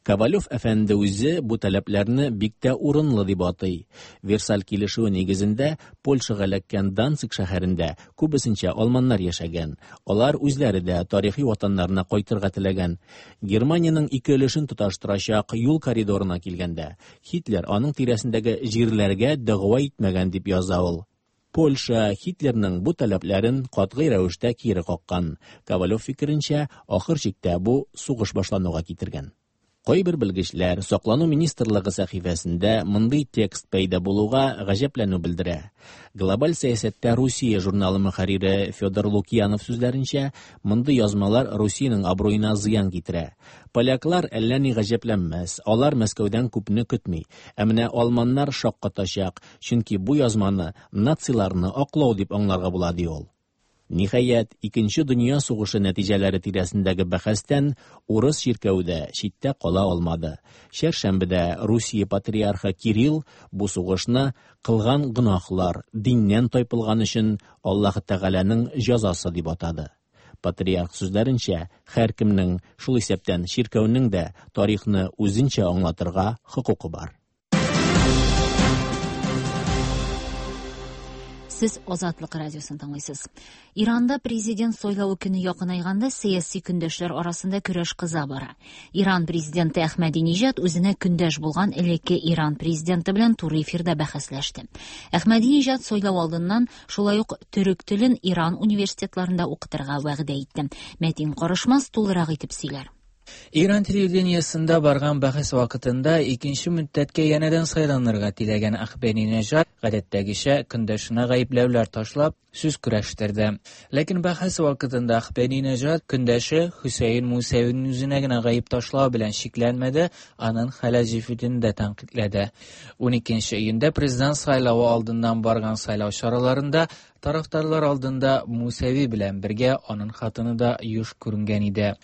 Ковалев әфәнде үзе бу таләпләрне бик тә урынлы дип атый. Версаль килешүе нигезендә Польшага эләккән Данциг шәһәрендә күбесенчә алманнар яшәгән. Алар үзләре дә тарихи ватаннарына кайтырга теләгән. Германиянең ике өлешен тоташтырачак юл коридорына килгәндә, Һитлер аның тирәсендәге җирләргә дәгъва итмәгән дип яза ул. Польша Һитлерның бу таләпләрен катгый рәвештә кире каккан. Ковалев фикеренчә, ахыр чиктә бу сугыш башлануга китергән. Кайбер белгечләр Саклану министрлыгы сәхифәсендә мондый текст пәйда булуга гаҗәпләнү белдерә. Глобаль сәясәттә Русия журналы мөхәррире Федор Лукьянов сүзләренчә, мондый язмалар Русиянең абруена зыян китерә. Поляклар әллә ни гаҗәпләнмәс, алар Мәскәүдән күпне көтми. Ә менә алманнар шаккатачак, чөнки бу язманы нациларны аклау дип аңларга була, ди ул. Ниһаять, Икенче дөнья сугышы нәтиҗәләре тирәсендәге бәхәстән урыс чиркәве дә читтә кала алмады. Чәршәмбедә Русия патриархы Кирилл бу сугышны кылган гөнаһлар, диннән тайпылган өчен Аллаһы Тәгаләнең җәзасы дип атады. Патриарх сүзләренчә, һәркемнең, шул исәптән чиркәүнең дә тарихны үзенчә аңлатырга хокукы бар. Сез Азатлык радиосын тыңлыйсыз. Иранда президент сайлавы көне якынайганда сәяси көндәшләр арасында көрәш кыза бара. Иран президенты Әхмәдиниҗад үзенә көндәш булган элекке Иран президенты белән туры эфирда бәхәсләште. Әхмәдиниҗад сайлау алдыннан шулай ук төрек телен Иран университетларында укытырга вәгъдә итте. Мәтин Карышмас тулырак итеп сөйләр. Иран телевидениесында барган бәхәс вакытында икенче мөддәткә янәдән сайланырга теләгән Әхмәдинежад гадәттәгечә көндәшенә гаепләүләр ташлап сүз көрәштерде. Ләкин бәхәс вакытында Әхмәдинежад көндәше Хөсәен Мусәвинең үзенә генә гаеп ташлау белән чикләнмәде, аның хәләл җефетен дә тәнкыйтьләде. ун икенче июньдә президент сайлавы алдыннан барган сайлау чараларында тарафдарлар алдында Мусәви белән бергә аның хатыны да юш күренгән иде.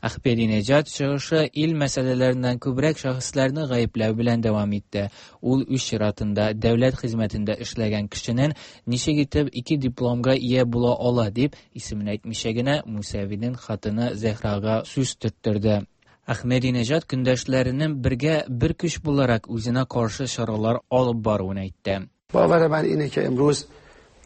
Әхмәдинежад чыгышы ил мәсьәләләреннән күбрәк шәхесләрне гаепләү белән дәвам итте. Ул үз чиратында дәүләт хезмәтендә эшләгән кешенең ничек итеп ике дипломга ия була ала дип исемен әйтмичә генә Мусәвинең хатыны Зәһрага сүз төрттерде. Әхмәдинежад көндәшләренең бергә бер көч буларак үзенә каршы чаралар алып баруын әйтте. باور من اینه که امروز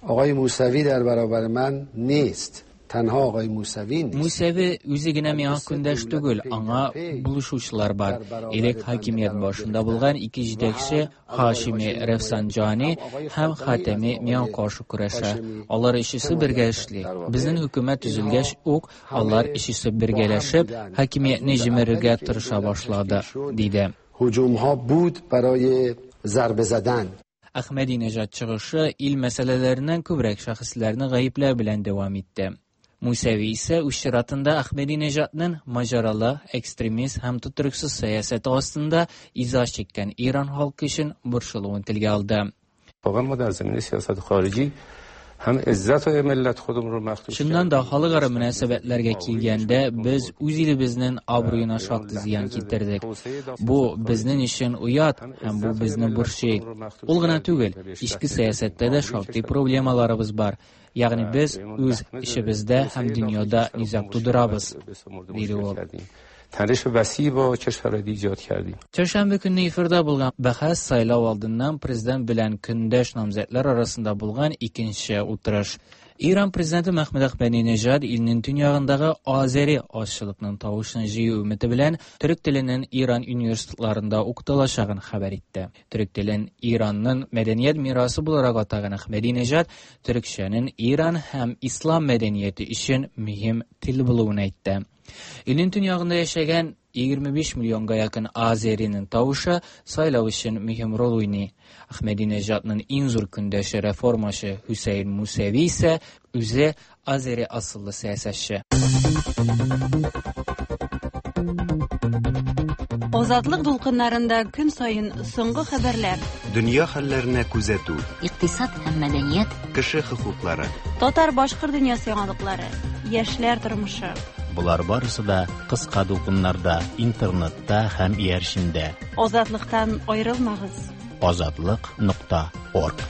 آقای موسوی در برابر من نیست. Тәнһа агай Мусави. Мусави үзе генә миңа көндәш түгел, аңа булышучылар бар. Элек хакимият башында булган ике җитәкче Хашими Рафсанджани һәм Хатами миңа каршы көрәшә. Алар өчесе бергә эшли. Безнең хөкүмәт төзелгәч үк алар өчесе бергәләшеп хакимиятне җимерергә тырыша башлады, диде. Һуҗумҳо буд барои зарба задан. Әхмәдинежад чыгышы ил мәсьәләләреннән күбрәк шәхесләрне гаепләү белән дәвам итте. Мусәви исә үз чиратында Әхмәдинежадның маҗаралы, экстремист һәм тотрыксыз сәясәте астында иза чиккән Иран халкы өчен борчылуын телгә алды. Чыннан да халыкара мөнәсәбәтләргә килгәндә, без үз илебезнең абруена шактый зыян китердек. Бу безнең өчен оят һәм бу безне борчый. Ул гына түгел, эчке сәясәттә дә шактый проблемаларыбыз бар. Ягъни без үз эшебездә һәм дөньяда низаг тудырабыз, диде ул. تنش وسیع با کشورهای دیگه ایجاد کردیم. Çarşamba көнне эфирда булган бәхәс сайлау алдыннан президент белән көндәш намзәтләр арасында булган икенче утырыш. Иран президенты Мәхмүд Әхмәдинежад илнең төньягындагы азәри азчылыкның тавышын җыю өмете белән төрек теленең Иран университетларында укытылачагын хәбәр итте. Төрек телен Иранның мәдәният мирасы буларак атаган Әхмәдинежад төрекчәнең Иран һәм ислам мәдәнияте өчен мөһим тел булуын әйтте. Илнең төньягында яшәгән егерме биш миллионга якын азәринең тавышы сайлау өчен мөһим роль уйный. Әхмәдинежадның иң зур көндәше реформачы Хөсәен Мусәви исә үзе азәри асыллы сәясәтче. Азатлык дулкыннарында көн саен соңгы хәбәрләр, дөнья хәлләренә күзәтү, икътисад һәм мәдәният, кеше хокуклары, татар-башкорт дөньясы яңалыклары, яшьләр тормышы. Болар барысы да кыска дулкыннарда, интернетта һәм иярчендә. Азатлыктан аерылмагыз. Азатлык нокта орг.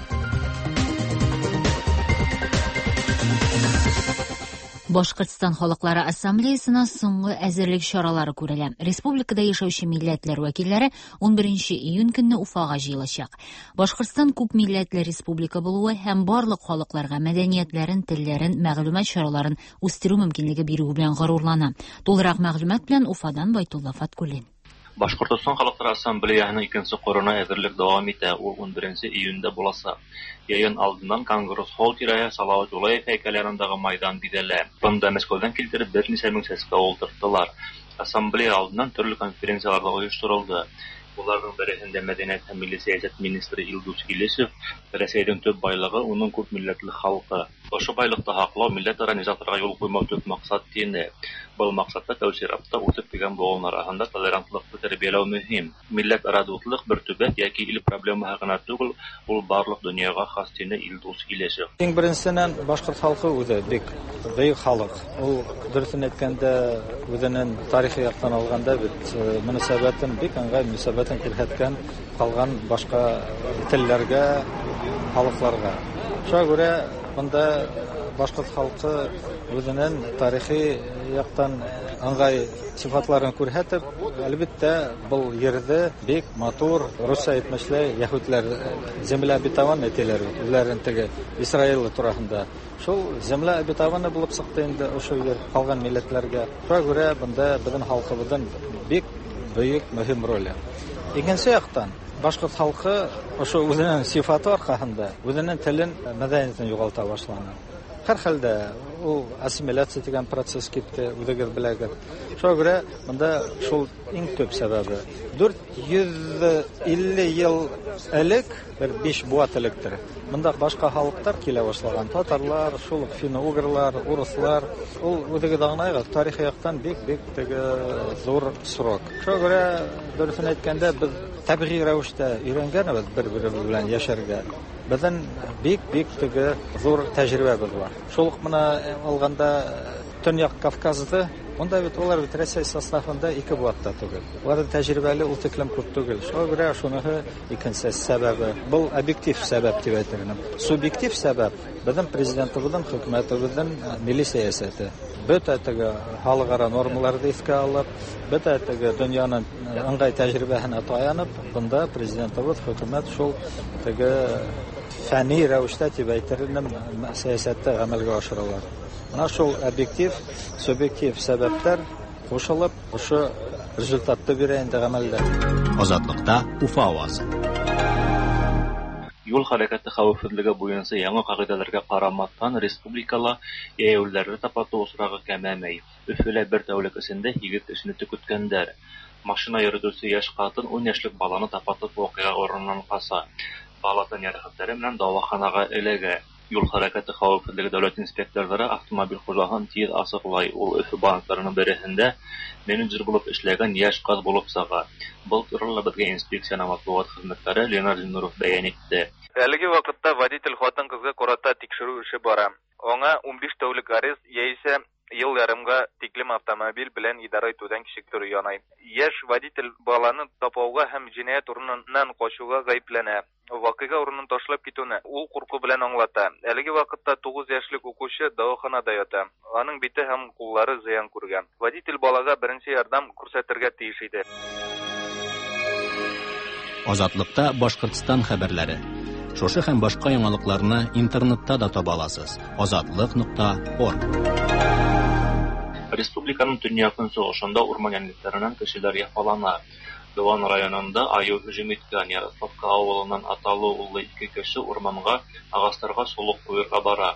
Башкортстан халыклары ассамблеясына соңгы әзерлек чаралары күрелә. Республикада яшәүче милләтләр вәкилләре ун беренче июнь көнне Уфага җыелачак. Башкортстан күп милләтле республика булуы һәм барлык халыкларга мәдәниятләрен, телләрен, мәгълүмат чараларын үстерү мөмкинлеге бирүе белән горурлана. Тулырак мәгълүмат белән Уфадан Байтулла Фаткуллин. Башкортостан халыклары ассамблеяһының икенче корына әзерлек дәвам итә. Ул ун беренче июньдә булачак. Йыйын алдыннан Конгресс холл тирәһе Салават Юлаев һәйкәле янындагы майдан бизәлә. Бында Мәскәүдән килтереп берничә мең сәскә ултырттылар. Ассамблея алдыннан төрле конференциялар да оештырылды. Уларның береһендә мәдәният һәм милли сәясәт министры Илдус Илешев Рәсәйнең төп байлыгы уның күп милләтле халкы. Ошо байлыкты һаклау милләтара низагларга юл куймау төп максат тине. Был максатта тәү чиратта үсеп килгән буын арасында толерантлыкны тәрбияләү мөһим. Милләтара дуслык бер төбәк яки ил проблемаһы гына түгел, ул барлык дөньяга хас тине Илдус Илешев. Иң беренсеннән башкорт халкы үзе бик бөек халык. Ул дөресен әйткәндә үзенең тарихи яктан алганда бит мөнәсәбәтен бик ыңгай мөнәсәбәтен күрһәткән калган башка телләргә, халыкларга. Шуңа күрә монда башкорт халкы үзенең тарихи яктан ыңгай сыйфатларын күрһәтеп, әлбәттә, был ерҙе бик матур, русча әйтмешләй, яһүдләр земля обетованная тиләр бит, үзләрен теге Израиль тураһында. Шул земля обетованная булып сыҡты инде ошо ер ҡалған милләтләргә. Шуңа күрә бында беҙҙең халҡыбыҙҙың бик бөйөк мөһим роле. Икенсе яҡтан, Башҡорт халҡы ошо үҙенең сифаты арҡаһында үҙенең телен, мәҙәниәтен юғалта башланы. Һәр хәлдә ул ассимиляция тигән процесс китте, үҙегеҙ беләгеҙ. Шуға күрә бында шул иң төп сәбәбе. Дүрт йөҙ илле йыл элек, бер биш быуат электер, бында башҡа халыҡтар килә башлаған. Татарлар, шул уҡ финно-угрлар, урыҫлар. Ул үҙегеҙ аңлайғыҙ, тарихи яҡтан бик-бик теге ҙур срок. Шуға күрә дөрөҫөн әйткәндә, беҙ тәбиғи рәүештә өйрәнгәнбеҙ бер-беребеҙ белән йәшәргә. Беҙҙең бик-бик теге ҙур тәжрибәбеҙ бар. Шул уҡ мына алғанда Төньяҡ Кавказды, унда бит улар бит Рәсәй составында ике быуатта түгел. Уларҙың тәжрибәле ул тиклем күп түгел. Шуға күрә шуныһы икенсе сәбәбе. Был объектив сәбәп тип әйтер инем. Субъектив сәбәп беҙҙең президентыбыҙҙың, хөкүмәтебеҙҙең милли сәйәсәте. Бөтә теге халыҡ-ара нормаларҙы иҫкә алып, бөтә теге донъяның ыңғай тәжрибәһенә таянып, бында президентыбыҙ, хөкүмәт шул теге фәнни рәүештә тип әйтер инем, сәйәсәтте ғәмәлгә ашыралар. Мына шул объектив, субъектив сәбәптәр ҡушылып, ошо результатты бирә инде ғәмәлдә. Азатлыкта Уфа авазы. Юл хәрәкәте хәүефһеҙлеге буйынса яңы ҡағиҙәләргә ҡарамаҫтан, республикала йәйәүлеләрҙе тапатыу осрағы кәмемәй. Өфөлә бер тәүлек эсендә һигеҙ кешене төкөткәндәр. Машина йөрөтөүсе йәш ҡатын ун йәшлек баланы тапатып ваҡиға урынынан ҡаса. Бала тән йәрәхәттәре менән дауаханаға эләгә. Юл хәрәкәте хәүефһеҙлеге дәүләт инспекторҙары автомобиль хужаһын тиҙ асыҡлай. Ул Өфө банктарының береһендә менеджер булып эшләгән йәш ҡыҙ булып сыға. Был турала беҙгә инспекцияның матбуғат хеҙмәткәре Ленар Зиннуров бәйән итте. Әлеге ваҡытта водитель хатын-ҡыҙға ҡарата тикшереү эше бара. Аңа ун биш тәүлек арест яисә йыл ярымға тиклем автомобиль белән идара итеүҙән кисектереү янай. Йәш водитель баланы тапауға һәм енәйәт урынынан ҡасыуға ғәйепләнә. Ваҡиға урынын ташлап китеүне ул ҡурҡыу белән аңлата. Әлеге ваҡытта туғыҙ йәшлек уҡыусы дауаханала ята. Аның бите һәм ҡуллары зыян күргән. Водитель балаға беренсе ярҙам күрһәтергә тейеш ине. Азатлыкта Башҡортостан хәбәрләре. Шушы һәм башҡа яңалыҡларны интернетта да таба аласыз. Азатлык нуҡта орг. Республиканың төньяҡ-көнсығышында урман йәнлектәренән кешеләр яфалана. Дыуан районында айыу һөжүм иткән. Ярославка ауылынан аталы-уллы ике кеше урманға ағастарға солоҡ ҡуйырға бара.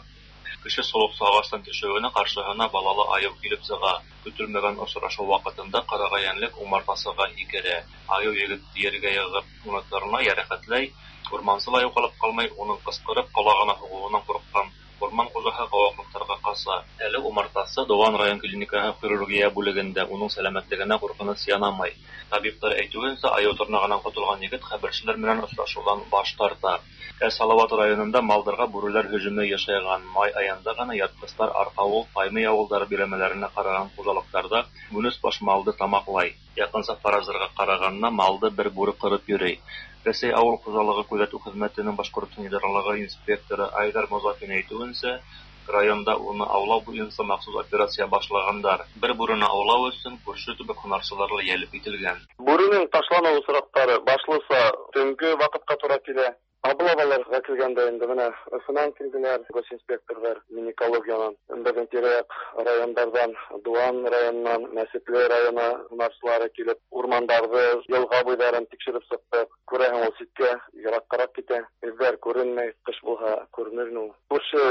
Кеше солоҡсо ағастан төшөүенә ҡаршыһына балалы айыу килеп сыға. Көтөлмәгән осрашыу ваҡытында ҡарағай йәнлек умартасыға һикерә. Айыу егетте ергә йығып, уны тырнай, йәрәхәтләй. Урмансы ла юғалып ҡалмай, уның ҡысҡырып ҡолағына һуғыуынан ҡурҡҡан урман хужаһы ҡыуаҡлыҡтарға ҡаса. Әле умартасы Дыуан район клиникаһы хирургия бүлегендә, уның сәләмәтлегенә ҡурҡыныс янамай. Табиптар әйтеүенсә, айыу тырнағынан ҡотолған егет хәбәрселәр менән осрашыуҙан баш тарта. Ә Салават районында малдарға бүреләр һөжүме йышайған. Май айында ғына ятҡыстар Арҡауыл, Таймый ауылдары биләмәләренә ҡараған хужалыҡтарҙа ун өс баш малды тамаҡлай. Яҡынса фараздарға ҡарағанда малды бер бүре ҡырып йөрөй. Рәсәй ауыл хужалығы күҙәтеү хеҙмәтенең Башҡортостан идаралығы инспекторы Айҙар Мозафин әйтеүенсә, районда уны аулау буйынса махсус операция башлағандар. Бер бүрене аулау өсөн күрше төбәк һунарсылары ла йәлеп ителгән. Бүренең ташланыу осраҡтары башлыса төнгө ваҡытҡа тура килә. Облаваларға килгәндә инде бына Өфөнән килделәр, госинспекторҙар, Минэкологиянан, беҙҙең тирә-яҡ райондарҙан, Дыуан районынан, Мәсетле районы һунарсылары килеп, урмандарҙы, йылға буйҙарын тикшереп сыҡтыҡ. Күрәһең, ул ситкә, йыраҡҡараҡ китә. Эҙҙәр күренмәй, ҡыш булһа күренер ул. Күрше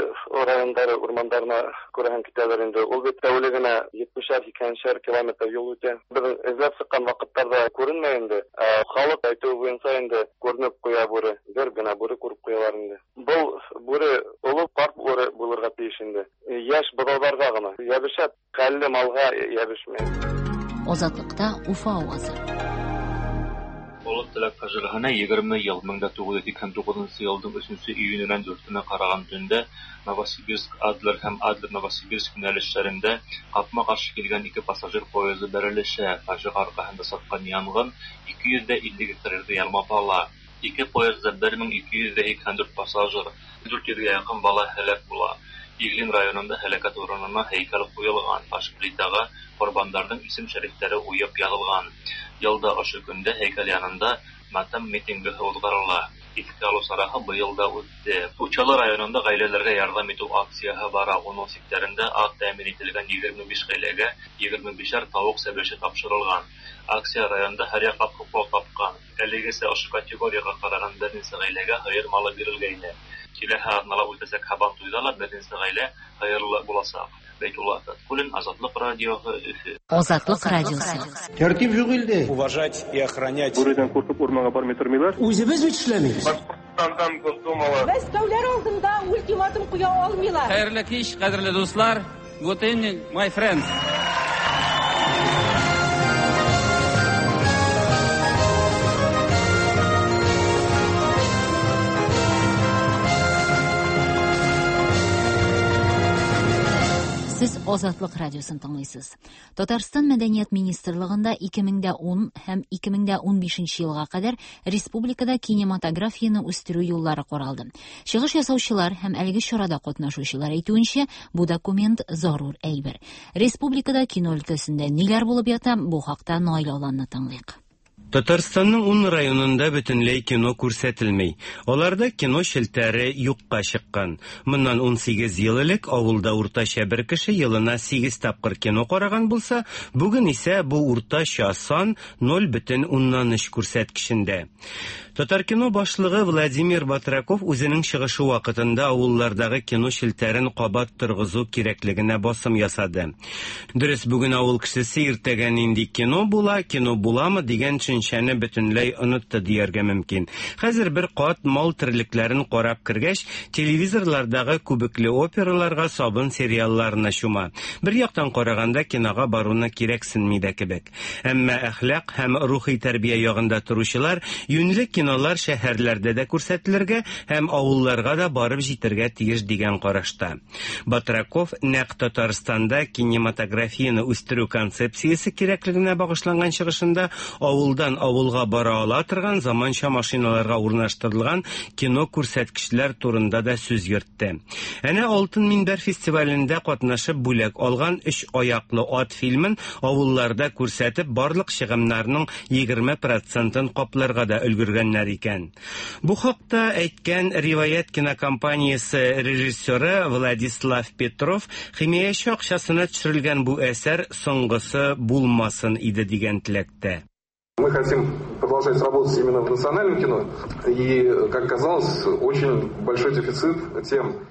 райондары урмандарына күрәһең китәләр инде. Ул бит тәүлегенә етмешәр, һикһәншәр километр юл үтә. Беҙ эҙләп сыҡҡан ваҡыттарҙа күренмәй инде. Ә халыҡ әйтеүе буйынса инде күренеп ҡуя бүре. Бер генә бүре күреп ҡуялар инде. Был бүре оло ҡарт бүре булырға тейеш инде. Йәш быҙауҙарға ғына йәбешә, хәлле малға йәбешмәй. Азатлыкта Уфа авазы. Оло Теләк фажиғәһенә егерме йыл, мең дә туғыҙ йөҙ һикһән туғыҙынсы йылдың өсөнсө июненән дүртенә ҡараған төндә Новосибирск Адлер һәм Адлер Новосибирск йүнәлештәрендә ҡапма-ҡаршы килгән ике пассажир поезы бәрелешә. Фажиғә арҡаһында сыҡҡан янғын ике йөҙ ҙә илле гектар ерҙе ялмап ала. Ике поездда бер мең ике йөҙ ҙә һикһән дүрт пассажир, дүрт йөҙгә яҡын бала һәләк була. Иглин районында һәләкәт урынына һәйкәл ҡуйылған, таш плитаға ҡорбандарҙың исем-шәрифтәре уйып яҙылған. Йылда ошо көндә һәйкәл янында матәм митингы уҙғарыла. Искә алу чарасы быел да үтте. Учалы районында гаиләләргә ярдәм итү акцияһы бара. Уның сиктәрендә ат тәэмин ителгән егерме биш гаиләгә егерме бишәр тавык сәбәче тапшырылган. Акция районда һәр яклап хуплау тапкан. Әлегесе ошо категорияга караган берничә гаиләгә һыер малы бирелгәйне. Киләһе атнала үтәсәк Һабантуйда ла берничә гаилә һыерлы буласак. Бәйтулла Фәткуллин, Азатлык радиосы, Өфе. Азатлык радиосы. Тәртип юк илдә. Уважать и охранять. Бүредән куркып урманга бармый тормыйлар. Үзебез бит эшләмибез. Башкортстандан Госдумала. Мәскәүләр алдында ультиматум куя алмыйлар. Хәерле кич, кадерле дуслар. Good evening, my friends. Сез Азатлык радиосын тыңлыйсыз. Татарстан Мәдәният министрлыгында ике мең дә ун һәм ике мең дә унбишенче елга кадәр республикада кинематографияне үстерү юллары каралды. Чыгыш ясаучылар һәм әлеге чарада катнашучылар әйтүенчә, бу документ зарур әйбер. Республикада кино өлкәсендә ниләр булып ята, бу хакта Наил Аланны тыңлыйк. Татарстанның ун районында бөтенләй кино күрсәтелмей. Аларда кино челтәре юкка чыккан. Моннан ун сигез ел элек авылда уртача бер кеше елына сигез тапкыр кино караган булса, бүген исә бу уртача сан ноль бөтен уннан өч күрсәткечендә. Татаркино башлыгы Владимир Батраков үзенең чыгышы вакытында авыллардагы кино челтәрен кабат торгызу кирәклегенә басым ясады. Дөрес, бүген авыл кешесе иртәгә нинди кино була, кино буламы дигән төшенчәне бөтенләй онытты дияргә мөмкин. Хәзер бер кат мал терлекләрен карап кергәч, телевизорлардагы күбекле операларга, сабын сериалларына чума. Бер яктан караганда кинога баруны кирәксенми дә кебек. Әмма әхлак һәм рухи тәрбия ягында торучылар юньле кинолар шәһәрләрдә дә күрсәтелергә һәм авылларга да барып җитәргә тиеш дигән карашта. Батраков нәкъ Татарстанда кинематографияне үстерү концепциясе кирәклегенә багышланган чыгышында авылдан авылга бара ала торган заманча машиналарга урнаштырылган кино күрсәткечләр турында да сүз йөртте. Әнә Алтын Минбәр фестивалендә катнашып бүләк алган Өч аяклы ат фильмын авылларда күрсәтеп барлык чыгымнарның егерме процентын капларга да өлгергәннәр икән. Бу хакта әйткән Риваят кинокомпаниясе режиссеры Владислав Петров химияче акчасына төшерелгән бу әсәр соңгысы булмасын иде дигән теләктә. Мы хотим продолжать работать именно в национальном кино, и, как оказалось, очень большой дефицит тем.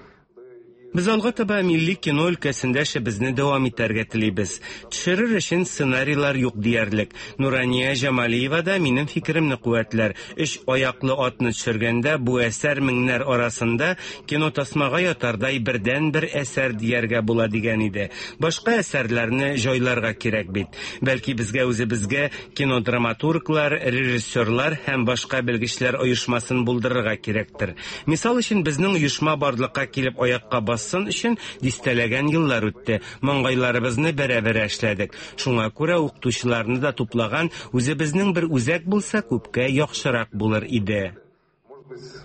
Без алга таба милли кино өлкәсендә эшебезне дәвам итәргә телибез. Төшерер өчен сценарийлар юк диярлек. Нурания Җамалиева да минем фикеремне куәтләр. Өч аяклы атны төшергәндә бу әсәр меңнәр арасында кино тасмага ятардай бердән-бер әсәр дияргә була дигән иде. Башка әсәрләрне җайларга кирәк бит. Бәлки безгә үзебезгә кинодраматурглар, режиссерлар һәм башка белгечләр оешмасын булдырырга кирәктер. Мисал өчен безнең оешма барлыкка килеп аякка бассын өчен дистәләгән еллар үтте. Маңгайларыбызны бәрә-бәрә эшләдек. Шуңа күрә укытучыларны да туплаган үзебезнең бер үзәк булса, күпкә яхшырак булыр иде.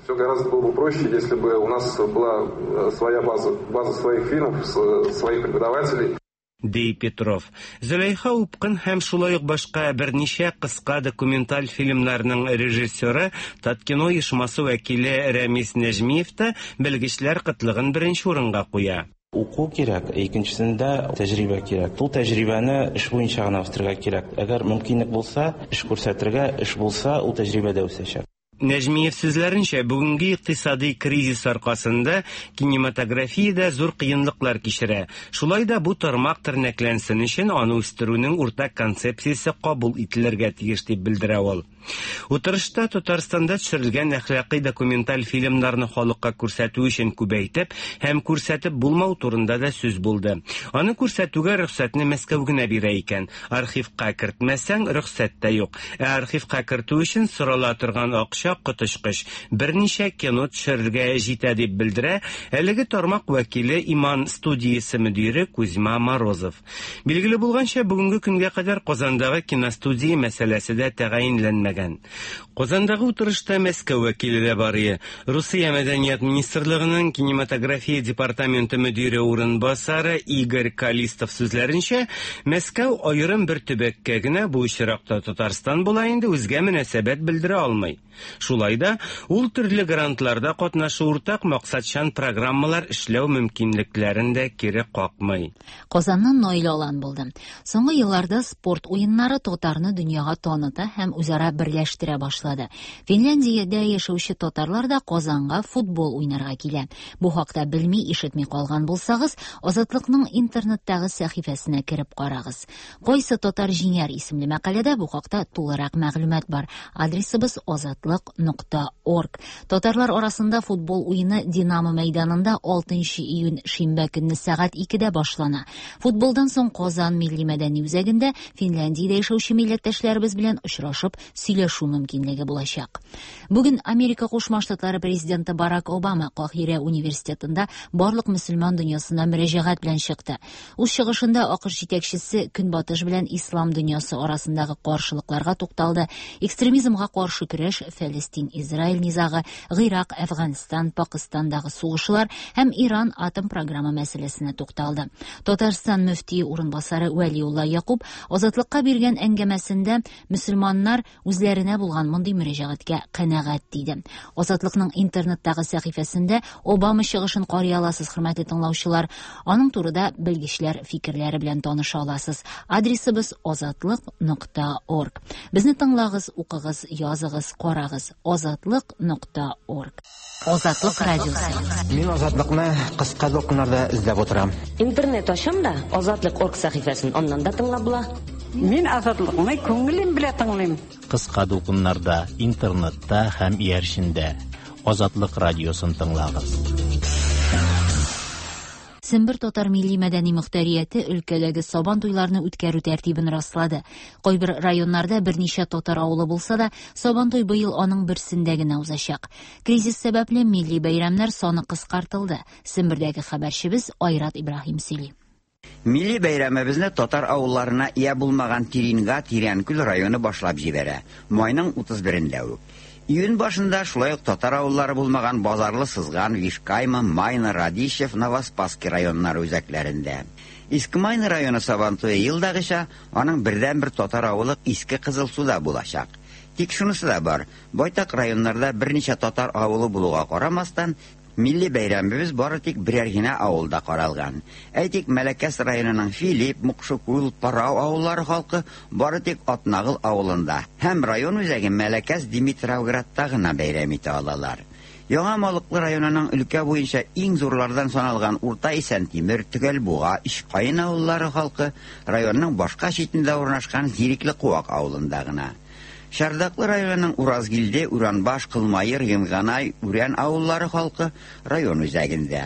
Все гораздо было бы проще, если бы у нас была своя база, база своих фильмов, своих преподавателей. Ди Петров. Зөләйха Упкын һәм шулай ук башка берничә кыска документаль фильмнарның режиссеры Таткино оешмасы вәкиле Рәмис Нәҗмиев та белгечләр кытлыгын беренче урынга куя. Уку кирәк, икенчесендә тәҗрибә кирәк. Ул тәҗрибәне эш буенча гына үстерергә кирәк. Әгәр мөмкинлек булса, эш күрсәтергә, эш булса, ул тәҗрибә дә үсәчәк. Нәҗмиев сүзләренчә, бүгенге икътисади кризис аркасында кинематография дә зур кыенлыклар кичерә. Шулай да бу тармак тернәкләнсен өчен аны үстерүнең уртак концепциясе кабул ителергә тиеш дип белдерә ул. Утырышта Татарстанда төшерелгән әхлакый документаль фильмнарны халыкка күрсәтү өчен күбәйтеп һәм күрсәтеп булмау турында да сүз булды. Аны күрсәтүгә рөхсәтне Мәскәү генә бирә икән. Архивка кертмәсәң, рөхсәт тә юк. Ә архивка кертү өчен сорала торган акча коточкыч. Берничә кино төшерергә җитә дип белдерә әлеге тармак вәкиле Иман студиясе мөдире Кузьма Морозов. Билгеле булганча, бүгенге көнгә кадәр Казандагы киностудия мәсьәләсе дә тәгаенләнмәгән. Казандагы утырышта Мәскәү вәкиле дә бар иде. Русия Мәдәният министрлыгының кинематография департаменты мөдире урынбасары Игорь Калистов сүзләренчә, Мәскәү аерым бер төбәккә генә, бу очракта Татарстан була инде, үзгә мөнәсәбәт белдерә алмый. Шулай да ул төрле грантларда катнашу, уртак максатчан программалар эшләү мөмкинлекләрен дә кире какмый. Казаннан Наил Алан булды. Соңгы елларда спорт уеннары татарны дөньяга таныта һәм үзара берләштерә башлады. Финляндиядә яшәүче татарлар да Казанга футбол уйнарга килә. Бу хакта белми, ишетми калган булсагыз, Азатлыкның интернеттагы сәхифәсенә кереп карагыз. Кайсы татар җиңәр исемле мәкаләдә бу хакта тулырак мәгълүмат бар. Адресыбыз азатлык нокта орг. Татарлар арасында футбол уены Динамо мәйданында алтынчы июнь шимбә көнне сәгать икедә башлана. Футболдан соң Казан милли мәдәни үзәгендә Финляндиядә яшәүче милләттәшләребез белән очрашып сөйләшү мөмкинлеге булачак. Бүген Америка Кушма Штатлары президенты Барак Обама Каһирә университетында барлык мөселман дөньясына мөрәҗәгать белән чыкты. Үз чыгышында АКШ җитәкчесе Көнбатыш белән ислам дөньясы арасындагы каршылыкларга тукталды. Экстремизмга каршы көрәш, Фәлестин-Израиль низагы, Гыйрак, Әфганстан, Пакистандагы сугышлар һәм Иран атом программа мәсьәләсенә тукталды. Татарстан мөфтие урынбасары Вәлиулла Якуб Азатлыкка биргән әңгәмәсендә мөселманнар үзләренә булган мондый мөрәҗәгатькә канәгать диде. Азатлыкның интернеттагы сәхифәсендә Обама чыгышын карый аласыз, хөрмәтле тыңлаучылар. Аның турыда белгечләр фикерләре белән таныша аласыз. Адресыбыз азатлык нокта орг. Безне тыңлагыз, укыгыз, языгыз, карагыз. азатлык нокта орг. Азатлык радиосы. Мин Азатлыкны кыска дулкыннарда эзләп утырам. Интернет ачам да Азатлык орг сәхифәсен аннан да тыңлап була. Мин Азатлыкны күңелем белән тыңлыйм. Кыска дулкыннарда, интернетта һәм иярчендә Азатлык радиосын тыңлагыз. Сембер татар милли мәдәни мөхтәрияте өлкәдәге сабан туйларны үткәрү тәртибен раслады. Кайбер районнарда берничә татар авылы булса да, сабан туй быел аның берсендә генә узачак. Кризис сәбәпле милли бәйрәмнәр саны кыскартылды. Сембердәге хәбәрчебез Айрат Ибраһим сөйли. Милли бәйрәмебезне татар авылларына ия булмаган Тиринга Тирәнкүл районы башлап җибәрә. Майның утыз берендә үк. Июнь башында шулай ук татар авыллары булмаган Базарлы, Сызган, Вишкайма, Майна, Радищев, Новоспасский районнары үзәкләрендә. Иске Майна районы Сабантуе елдагыча аның бердәнбер татар авылы Иске Кызылсуда булачак. Тик шунысы да бар, байтак районнарда берничә татар авылы булуга карамастан, милли бәйрәмебез бары тик берәр генә авылда каралган. Әйтик, Мәләкәс районының Филипп, Мукшыкул, Парау авыллары халкы бары тик Атнагыл авылында һәм район үзәге Мәләкәс Димитровградта гына бәйрәм итә алалар. Яңа Малыклы районының өлкә буенча иң зурлардан саналган Урта Исәнтимер, Төгәлбуга, Ишкайын авыллары халкы районның башка читендә урнашкан Зирекле Куак авылында гына. Шардаклы районының Уразгилде, Уранбаш, Кылмайыр, Йынганай, Үрән авыллары халкы район үзәгендә.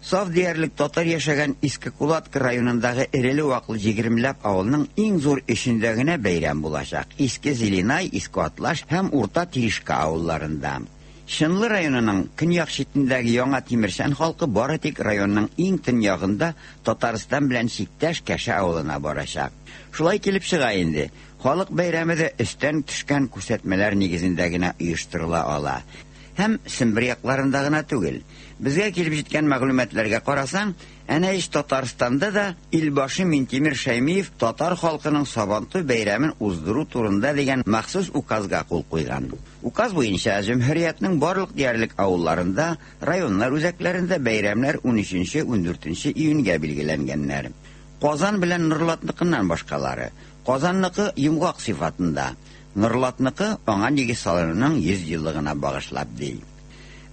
Саф диярлек татар яшәгән Иске Кулатка районындагы эреле-ваклы егермеләп авылның иң зур эшендә генә бәйрәм булачак. Иске Зеленай, Иске Атлаш һәм Урта Тиришка авылларында. Чынлы районының көньяк читендәге Яңа Тимершән халкы бары тик районның иң төньягында Татарстан белән чиктәш Кәшә авылына барачак. Шулай килеп чыга инде. Халык бәйрәме дә өстән төшкән күрсәтмәләр нигезендә генә оештырыла ала. Һәм Сембер якларында гына түгел. Безгә килеп җиткән мәгълүматларга карасаң, әнә ич Татарстанда да Илбашы Минтимер Шәймиев татар халкының Сабантуй бәйрәмен уздыру турында дигән махсус указга кул куйган. Указ буенча җөмһүриятнең барлык диярлек авылларында, районнар үзәкләрендә бәйрәмнәр унөченче, ундүртенче июньгә билгеләнгәннәр. Казан белән Нурлатныкыннан башкалары. Казанныкы йомгак сыйфатында, Нурлатныкы аңа нигез салынуның йөз еллыгына багышлап ди.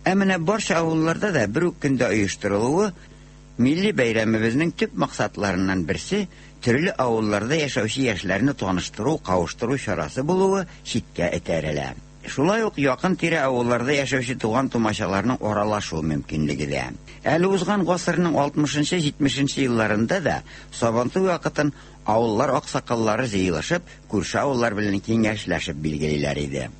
Ә менә барча авылларда да бер үк көндә оештырылуы милли бәйрәмебезнең төп максатларыннан берсе төрле авылларда яшәүче яшьләрне таныштыру, кавыштыру чарасы булуы читкә этәрелә. Шулай ук якын тирә авылларда яшәүче туган тумачаларның аралашу мөмкинлеге дә. Әле узган гасырның алтмышынчы, җитмешенче елларында да Сабантуй вакытын авыллар аксакаллары җыелышып, күрше авыллар белән киңәшләшеп билгелиләр иде.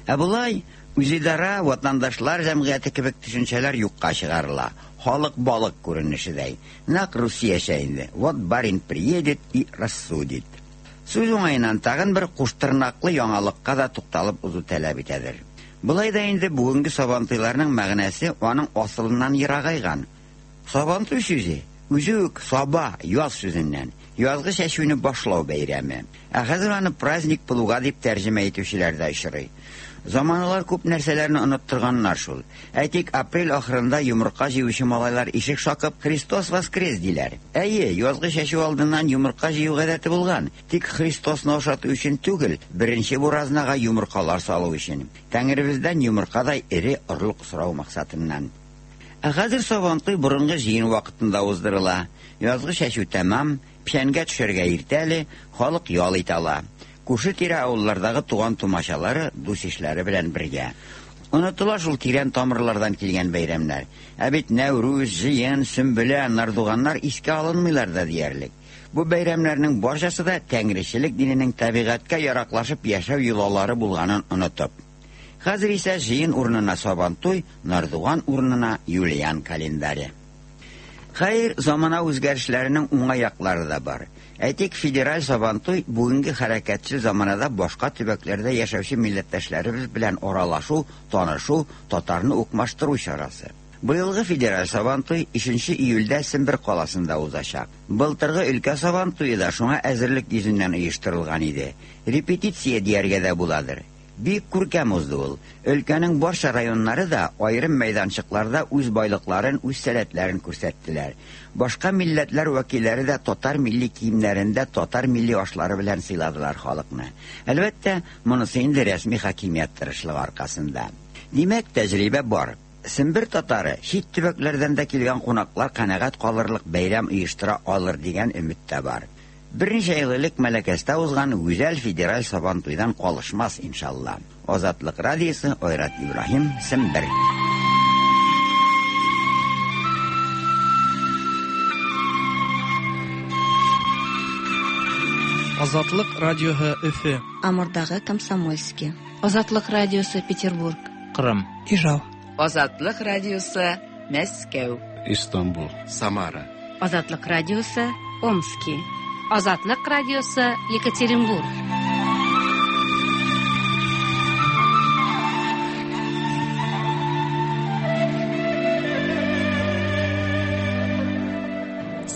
Ә болай үзидара, ватандашлар җәмгыяте кебек төшенчәләр юкка чыгарыла. Халык балык күренешедәй. Нәкъ Русиячә инде. Вот барин приедет и рассудит. Сүз уңаеннан тагын бер куштырнаклы яңалыкка да тукталып узу таләп итәдер. Болай да инде бүгенге сабантуйларның мәгънәсе аның асылыннан ерагайган. Сабантуй сүзе үзе үк саба, яз сүзеннән, язгы чәчүне башлау бәйрәме. Ә хәзер аны праздник плуга дип тәрҗемә итүчеләр дә очрый. Заманалар күп нәрсәләрне оныттырганнар шул. Әйтик, апрель ахырында йомырка җыючы малайлар ишек шакып «Христос воскрес» диләр. Әйе, язгы чәчү алдыннан йомырка җыю гадәте булган. Тик Христосны ашату өчен түгел, беренче буразнага йомыркалар салу өчен. Тәңребездән йомыркадай эре орлык сорау максатыннан. Ә хәзер Сабантуй борынгы җыен вакытында уздырыла. Язгы чәчү тәмам, печәнгә төшәргә иртә әле, халык ял итә ала. Күрше-тирә авыллардагы туган тумачалары, дус-ишләре белән бергә. Онытыла шул тирән тамырлардан килгән бәйрәмнәр. Ә бит Нәүрүз, җыен, Сөмбелә, Нардуганнар искә алынмыйлар да диярлек. Бу бәйрәмнәрнең барчасы да тәңречелек диненең табигатькә яраклашып яшәү йолалары булганын онытып. Хәзер исә җыен урынына Сабантуй, Нардуган урынына Юлиан календаре. Хәер, замана үзгәрешләренең уңай яклары да бар. Әйтик, федераль Сабантуй бүгенге хәрәкәтчел заманада башка төбәкләрдә яшәүче милләттәшләребез белән аралашу, танышу, татарны укмаштыру чарасы. Быелгы федераль Сабантуй өченче июльдә Сембер каласында узачак. Былтыргы өлкә Сабантуе да шуңа әзерлек йөзеннән оештырылган иде. Репетиция дияргә дә буладыр. Бик күркәм узды ул. Өлкәнең барча районнары да аерым мәйданчыкларда үз байлыкларын, үз сәләтләрен күрсәттеләр. Башка милләтләр вәкилләре дә татар милли киемнәрендә татар милли ашлары белән сыйладылар халыкны. Әлбәттә, монысы инде рәсми хакимият тырышлыгы аркасында. Димәк, тәҗрибә бар. Сембер татары чит төбәкләрдән дә килгән кунаклар канәгать калырлык бәйрәм оештыра алыр дигән өмет тә бар. Берничә ел элек Мәләкәстә узган гүзәл федераль Сабантуйдан калышмас иншалла. Азатлык радиосы, Айрат Ибраһим, Сембер. Азатлык радиоһы Өфө. Амурдагы Комсомольский. Азатлык радиосы Петербург. Кырым. Ижау. Азатлык радиосы Мәскәү. Истанбул. Самара. Азатлык радиосы Омски. Азатлык радиосы Екатеринбург.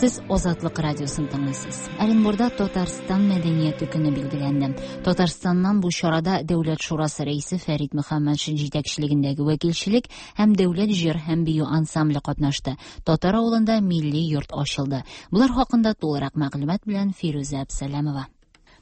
Сез Азатлык радиосын тыңлыйсыз. Оренбурда Татарстан мәдәнияте көне билгеләнде. Татарстаннан бу чарада Дәүләт шурасы рәисе Фәрит Мөхәммәтшин җитәкчелегендәге вәкилчелек һәм дәүләт җыр һәм бию ансамбле катнашты. Татар авылында милли йорт ачылды. Булар хакында тулырак мәгълүмат белән Фирүзә Әбсәләмова.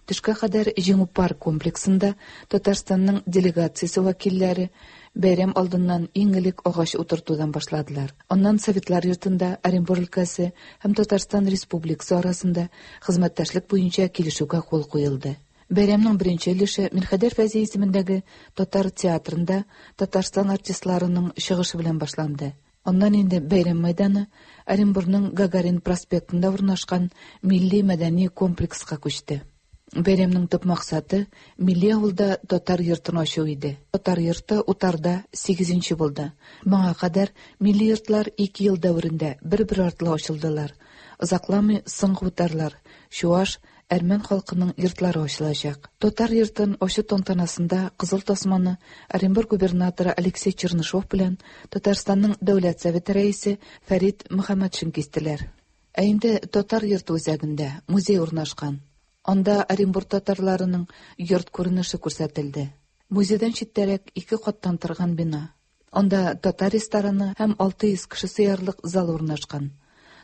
Төшкә кадәр Җиңү парк комплексында Татарстанның делегациясе вәкилләре бәйрәм алдыннан иң элек агач утыртудан башладылар. Аннан Советлар йортында Оренбур өлкәсе һәм Татарстан Республикасы арасында хезмәттәшлек буенча килешүгә кул куелды. Бәйрәмнең беренче өлеше Мирхәйдәр Фәйзи исемендәге татар театрында Татарстан артистларының чыгышы белән башланды. Аннан инде бәйрәм мәйданы Оренбурның Гагарин проспектында урнашкан милли мәдәни комплекска күчте. Бәйрәмнең төп максаты милли авылда татар йортын ачу иде. Татар йорты утарда сигезенче булды. Моңа кадәр милли йортлар ике ел дәверендә бер-бер артлы ачылдылар. Озакламый соңгы утарлар, чуаш, әрмән халкының йортлары ачылачак. Татар йортын ачу тантанасында Кызыл тасманы Оренбург губернаторы Алексей Чернышов белән Татарстанның Дәүләт Советы рәисе Фәрит Мөхәммәтшин кистеләр. Ә инде татар йорты үзәгендә музей урнашкан. Анда Оренбург татарларының йорт күренеше күрсәтелде. Музейдан читтәрәк ике каттан торган бина. Анда татар рестораны һәм алты йөз кеше сыярлык зал урнашкан.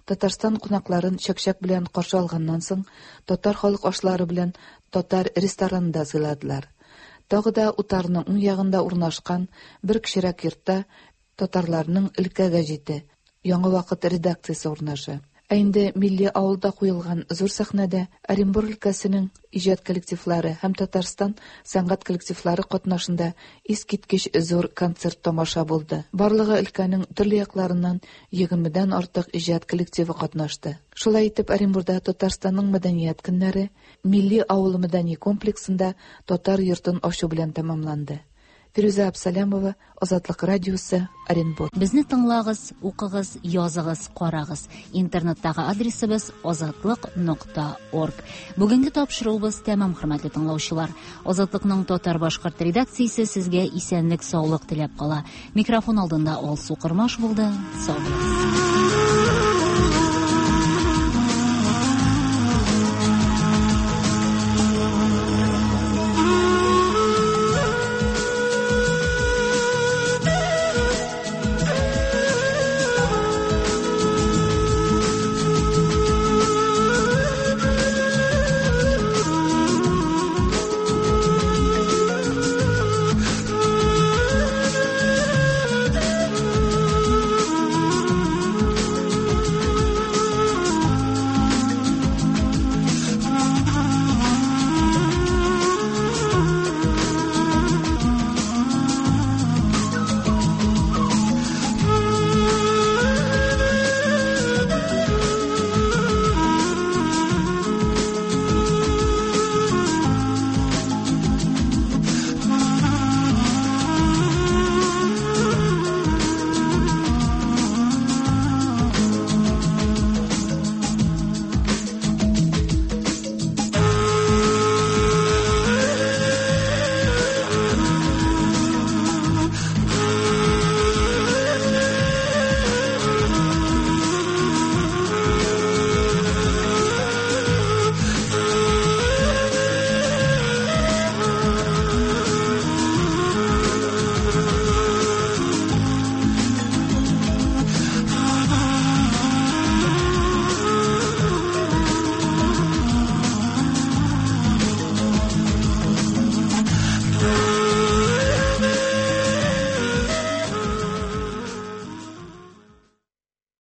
Татарстан кунакларын чәкчәк белән каршы алганнан соң, татар халык ашлары белән татар ресторанында сыйладылар. Тагы да утарның уң ягында урнашкан бер кечерәк йортта татарларның өлкә гәҗите Яңа вакыт редакциясе урнаша. Ә инде милли авылда куелган зур сәхнәдә Оренбург өлкәсенең иҗат коллективлары һәм Татарстан сәнгать коллективлары катнашында искиткеч зур концерт тамаша булды. Барлыгы өлкәнең төрле якларыннан егермедән артык иҗат коллективы катнашты. Шулай итеп, Оренбургда Татарстанның мәдәният көннәре милли авыл мәдәни комплексында татар йортын ачу белән тәмамланды. Фирүзә Әбсәләмова, Азатлык радиосы, Оренбург. Безне тыңлагыз, укыгыз, языгыз, карагыз. Интернеттагы адресыбыз азатлык нокта орг. Бүгенге тапшыруыбыз тәмам, хөрмәтле тыңлаучылар. Азатлыкның татар-башкорт редакциясе сезгә исәнлек, саулык теләп кала. Микрофон алдында Алсу Кырмаш булды. Сау булыгыз.